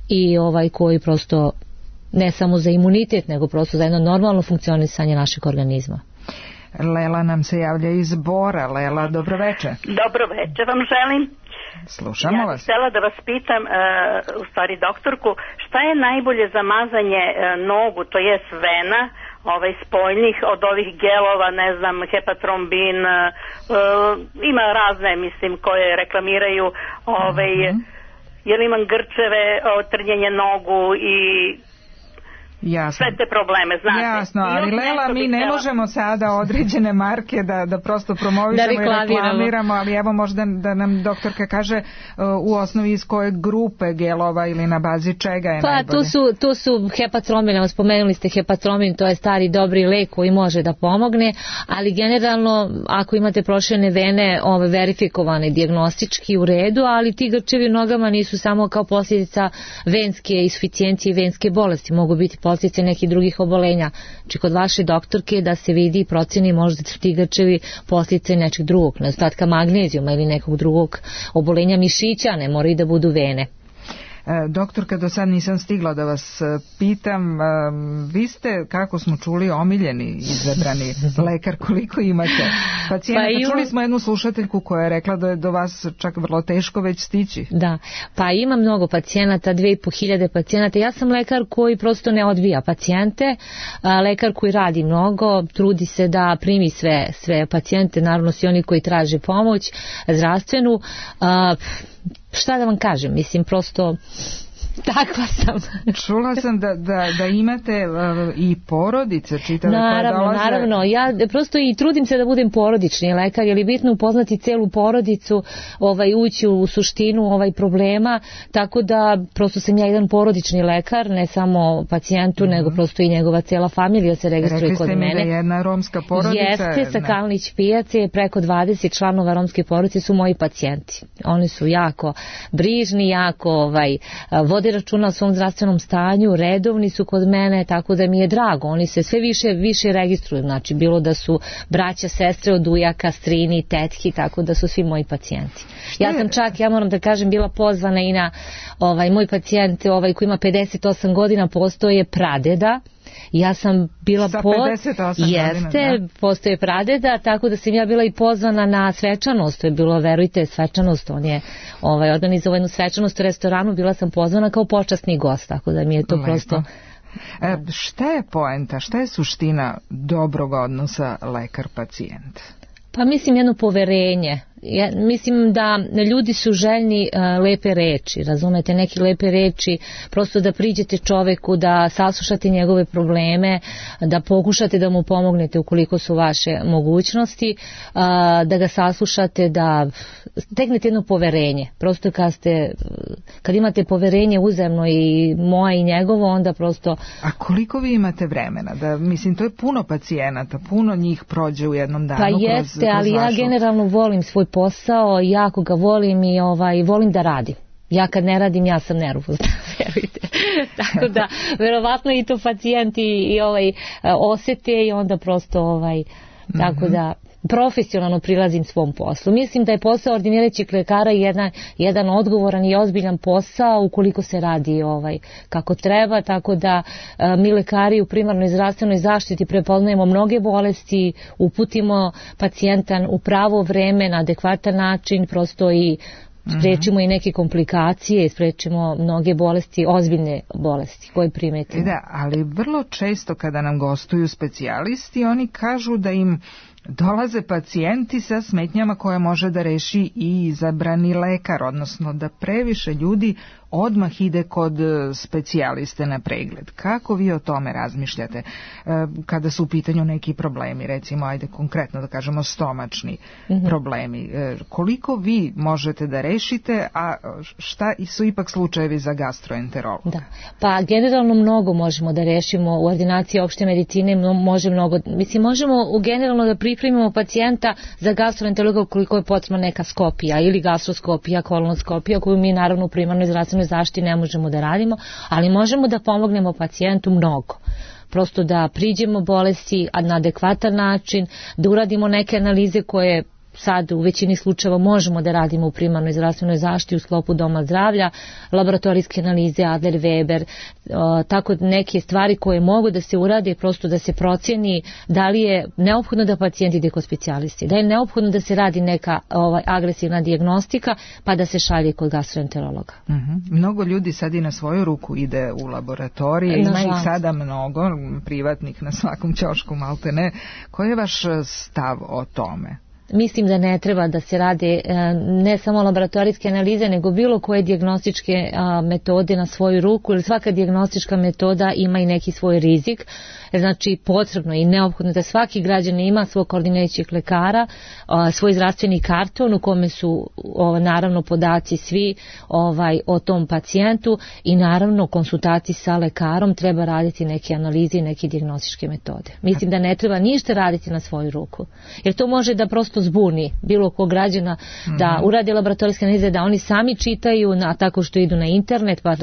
S4: i ovaj koji prosto ne samo za imunitet, nego prosto za jedno normalno funkcionisanje našeg organizma.
S3: Lela nam se javlja iz Bora. Lela, dobro večer.
S5: Dobro večer vam želim.
S3: Slušamo vas.
S5: Ja bih htjela da vas pitam, uh, u stvari doktorku, šta je najbolje za mazanje uh, nogu, to jest vena, ovaj spoljnih od ovih gelova, ne znam, hepatrombin, uh, ima razne, mislim, koje reklamiraju, ovaj, mm-hmm. jer imam grčeve, trnjenje nogu i
S3: Jasno.
S5: sve te probleme, znate.
S3: Jasno, ali Lela, mi ne možemo sada određene marke da, da prosto promovišemo da i reklamiramo, ali evo možda da nam doktorka kaže uh, u osnovi iz koje grupe gelova ili na bazi čega je
S4: pa,
S3: najbolje.
S4: Pa tu su, tu su hepatromin, spomenuli ste hepatromin, to je stari dobri lek koji može da pomogne, ali generalno ako imate proširene vene ove verifikovane dijagnostički u redu, ali ti grčevi u nogama nisu samo kao posljedica venske insuficijencije i venske bolesti, mogu biti posljedice nekih drugih obolenja. Znači kod vaše doktorke da se vidi i proceni možda su ti grčevi posljedice nečeg drugog, nedostatka magnezijuma ili nekog drugog obolenja mišića, ne moraju da budu vene.
S3: Doktorka, do sad nisam stigla da vas pitam, vi ste, kako smo čuli, omiljeni, izabrani lekar, koliko imate pacijenata? Pa imam... Čuli smo jednu slušateljku koja je rekla da je do vas čak vrlo teško već stići.
S4: Da, pa ima mnogo pacijenata, dve i po hiljade pacijenata. Ja sam lekar koji prosto ne odbija pacijente, lekar koji radi mnogo, trudi se da primi sve, sve pacijente, naravno svi oni koji traže pomoć zdravstvenu. Šta da vam kažem, mislim, prosto takva sam.
S3: Čula sam da, da, da imate uh, i porodice čitave
S4: naravno,
S3: koje dolaze.
S4: Naravno, ja prosto i trudim se da budem porodični lekar, jer je bitno upoznati celu porodicu, ovaj, ući u suštinu ovaj problema, tako da prosto sam ja jedan porodični lekar, ne samo pacijentu, mm-hmm. nego prosto i njegova cela familija se registruje kod mene.
S3: Rekli ste mi da je jedna romska porodica.
S4: Jeste, sa Kalnić pijace, preko dvadeset članova romske porodice su moji pacijenti. Oni su jako brižni, jako ovaj, vode računa o svom zdravstvenom stanju, redovni su kod mene, tako da mi je drago. Oni se sve više više registruju, znači bilo da su braća, sestre od ujaka, strini, tetki, tako da su svi moji pacijenti. Ja sam čak, ja moram da kažem, bila pozvana i na ovaj, moj pacijent ovaj, koji ima pedeset osam godina, postoje pradeda. Ja sam bila
S3: po...
S4: Jeste,
S3: godina,
S4: postoje pradeda, tako da sam ja bila i pozvana na svečanost, to je bilo, verujte, svečanost, on je ovaj, organizovao jednu svečanost u restoranu, bila sam pozvana kao počasni gost, tako da mi je to Lepo. prosto...
S3: E, šta je poenta, šta je suština dobrog odnosa lekar-pacijent?
S4: Pa mislim jedno poverenje, Ja mislim da ljudi su željni uh, lepe reči, razumete, neke lepe reči, prosto da priđete čoveku, da saslušate njegove probleme, da pokušate da mu pomognete ukoliko su vaše mogućnosti, uh, da ga saslušate, da steknete jedno poverenje. Prosto kad ste, kad imate poverenje uzajamno i moje i njegovo, onda prosto...
S3: A koliko vi imate vremena? Da, mislim, to je puno pacijenata, puno njih prođe u jednom danu.
S4: Pa
S3: kroz,
S4: jeste,
S3: kroz
S4: ali
S3: vašu...
S4: ja generalno volim svoj posao, jako ga volim i ovaj, volim da radim. Ja kad ne radim, ja sam nervozna, verujte. Tako da, verovatno i to pacijenti i ovaj, osete i onda prosto, ovaj, tako mm-hmm. da... profesionalno prilazim svom poslu. Mislim da je posao ordinirajućeg lekara jedan, jedan odgovoran i ozbiljan posao ukoliko se radi ovaj kako treba, tako da a, mi lekari u primarnoj zdravstvenoj zaštiti prepoznajemo mnoge bolesti, uputimo pacijenta u pravo vreme, na adekvatan način, prosto i sprečimo i neke komplikacije, sprečimo mnoge bolesti, ozbiljne bolesti koje primetimo.
S3: Da, ali vrlo često kada nam gostuju specijalisti, oni kažu da im dolaze pacijenti sa smetnjama koje može da reši i izabrani lekar, odnosno da previše ljudi odmah ide kod specijaliste na pregled. Kako vi o tome razmišljate kada su u pitanju neki problemi, recimo, ajde konkretno da kažemo stomačni mm-hmm. problemi? Koliko vi možete da rešite, a šta su ipak slučajevi za gastroenterolog?
S4: Da. Pa generalno mnogo možemo da rešimo u ordinaciji opšte medicine, može mnogo, mislim, možemo u generalno da pripremimo pacijenta za gastroenterologa koliko je potrebna neka skopija ili gastroskopija, kolonoskopija, koju mi naravno u primarnoj zdravstvenoj zaštiti ne možemo da radimo, ali možemo da pomognemo pacijentu mnogo. Prosto da priđemo bolesti na adekvatan način, da uradimo neke analize koje sad u većini slučajeva možemo da radimo u primarnoj zdravstvenoj zaštiti u sklopu doma zdravlja, laboratorijske analize, Adler, Weber, o, tako neke stvari koje mogu da se urade, prosto da se procjeni da li je neophodno da pacijent ide kod specijalisti, da je neophodno da se radi neka ovaj, agresivna dijagnostika, pa da se šalje kod gastroenterologa.
S3: Mm-hmm. Mnogo ljudi sad i na svoju ruku ide u laboratorije, ima ih sada mnogo, privatnih na svakom ćošku maltene. Koji je vaš stav o tome?
S4: Mislim da ne treba da se rade ne samo laboratorijske analize, nego bilo koje dijagnostičke metode na svoju ruku, jer svaka dijagnostička metoda ima i neki svoj rizik. Znači potrebno i neophodno da svaki građanin ima svog koordinirajućeg lekara, svoj zdravstveni karton u kome su naravno podaci svi ovaj, o tom pacijentu i naravno konsultaciji sa lekarom treba raditi neke analize i neke dijagnostičke metode. Mislim da ne treba ništa raditi na svoju ruku, jer to može da prosto zbuni bilo kog građana da urade laboratorijske analize, da oni sami čitaju, a tako što idu na internet pa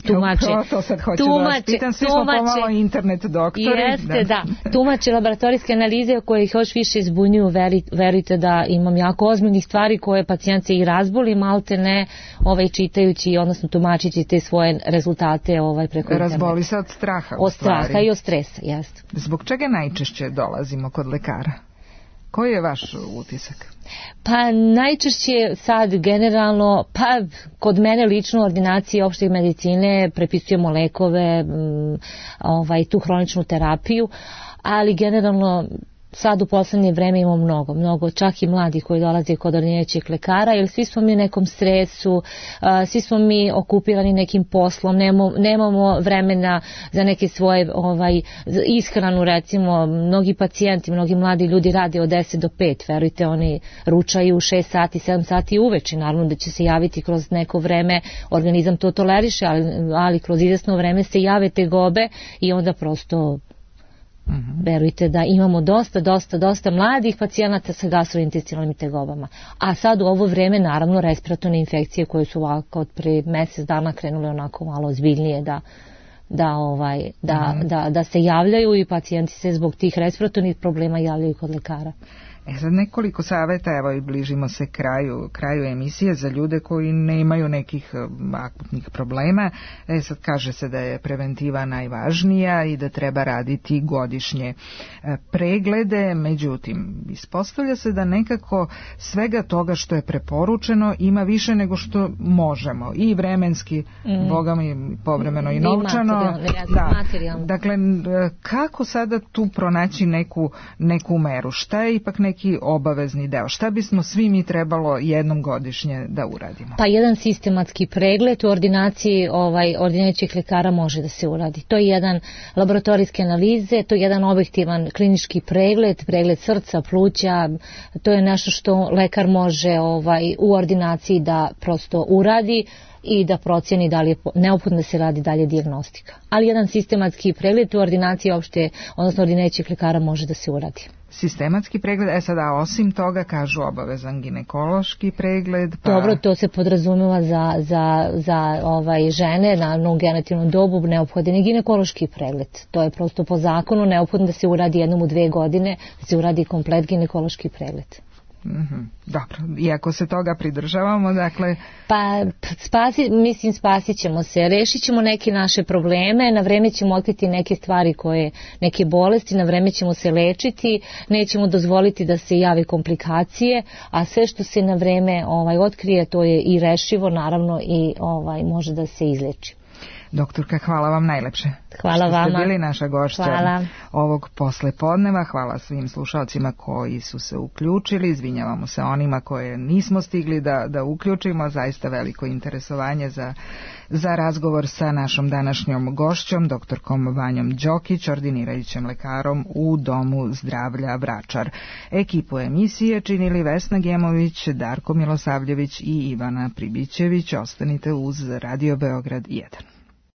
S4: tumače.
S3: Ja, to sad hoću tumače, da vas pitam, svi smo pomalo internet doktori.
S4: Jeste, da. da. Tumače laboratorijske analize koje ih još više zbunjuju, veri, verujte da imam jako ozbiljnih stvari koje pacijent se i razboli, malte ne ovaj, čitajući, odnosno tumačići te svoje rezultate ovaj, preko interneta.
S3: Razboli se od straha.
S4: Od straha i od stresa, jeste.
S3: Zbog čega najčešće dolazimo kod lekara? Koji je vaš utisak?
S4: Pa najčešće sad generalno, pa kod mene lično u ordinaciji opšte medicine prepisujemo lekove, ovaj, tu hroničnu terapiju, ali generalno sad u poslednje vreme imamo mnogo, mnogo čak i mladih koji dolaze kod ordinirajućeg lekara, jer svi smo mi u nekom stresu, svi smo mi okupirani nekim poslom, nemamo, nemamo vremena za neke svoje ovaj, ishranu, recimo, mnogi pacijenti, mnogi mladi ljudi rade od deset do pet, verujte, oni ručaju u šest sati, sedam sati uveče, naravno da će se javiti kroz neko vreme, organizam to toleriše, ali, ali kroz izvesno vreme se jave tegobe i onda prosto Mm-hmm. verujte da imamo dosta, dosta, dosta mladih pacijenata sa gastrointestinalnim tegobama. A sad u ovo vreme naravno respiratorne infekcije koje su ovako od pre mjesec dana krenule onako malo ozbiljnije da, da, ovaj, da, mm-hmm. da, da se javljaju i pacijenti se zbog tih respiratornih problema javljaju kod lekara.
S3: E sad nekoliko savjeta, evo i bližimo se kraju, kraju emisije za ljude koji ne imaju nekih akutnih problema. E sad kaže se da je preventiva najvažnija i da treba raditi godišnje preglede, međutim ispostavlja se da nekako svega toga što je preporučeno ima više nego što možemo i vremenski, mm. boga mi povremeno i novčano,
S4: materijalno,
S3: da,
S4: materijalno.
S3: Dakle, kako sada tu pronaći neku, neku meru? Šta je ipak neki obavezni deo? Šta bismo svi mi trebalo jednom godišnje da uradimo?
S4: Pa jedan sistematski pregled u ordinaciji ovaj, ordinajućih lekara može da se uradi. To je jedan laboratorijske analize, to je jedan objektivan klinički pregled, pregled srca, pluća, to je nešto što lekar može ovaj, u ordinaciji da prosto uradi i da procjeni da li je neophodno da se radi dalje dijagnostika. Ali jedan sistematski pregled u ordinaciji opšte, odnosno ordinajućih lekara može da se uradi.
S3: Sistematski pregled, e sada osim toga kažu obavezan ginekološki pregled. Pa...
S4: Dobro, to se podrazumeva za, za, za ovaj, žene na genitalnu dobu neophodan je ginekološki pregled. To je prosto po zakonu neophodno da se uradi jednom u dve godine, da se uradi komplet ginekološki pregled.
S3: Mm-hmm. Dobro, iako se toga pridržavamo, dakle...
S4: Pa, spasi, mislim, spasit ćemo se, rešit ćemo neke naše probleme, na vreme ćemo otkriti neke stvari koje, neke bolesti, na vreme ćemo se lečiti, nećemo dozvoliti da se jave komplikacije, a sve što se na vreme ovaj, otkrije, to je i rešivo, naravno, i ovaj, može da se izleči.
S3: Doktorka, hvala vam najlepše.
S4: Hvala
S3: što
S4: vama.
S3: Što ste bili naša gošća
S4: hvala.
S3: Ovog poslepodneva. Hvala svim slušalcima koji su se uključili. Izvinjavamo se onima koje nismo stigli da, da uključimo. Zaista veliko interesovanje za, za razgovor sa našom današnjom gošćom, doktorkom Vanjom Đokić, ordinirajućim lekarom u Domu zdravlja Vračar. Ekipu emisije činili Vesna Gemović, Darko Milosavljević i Ivana Pribićević. Ostanite uz Radio Beograd jedan.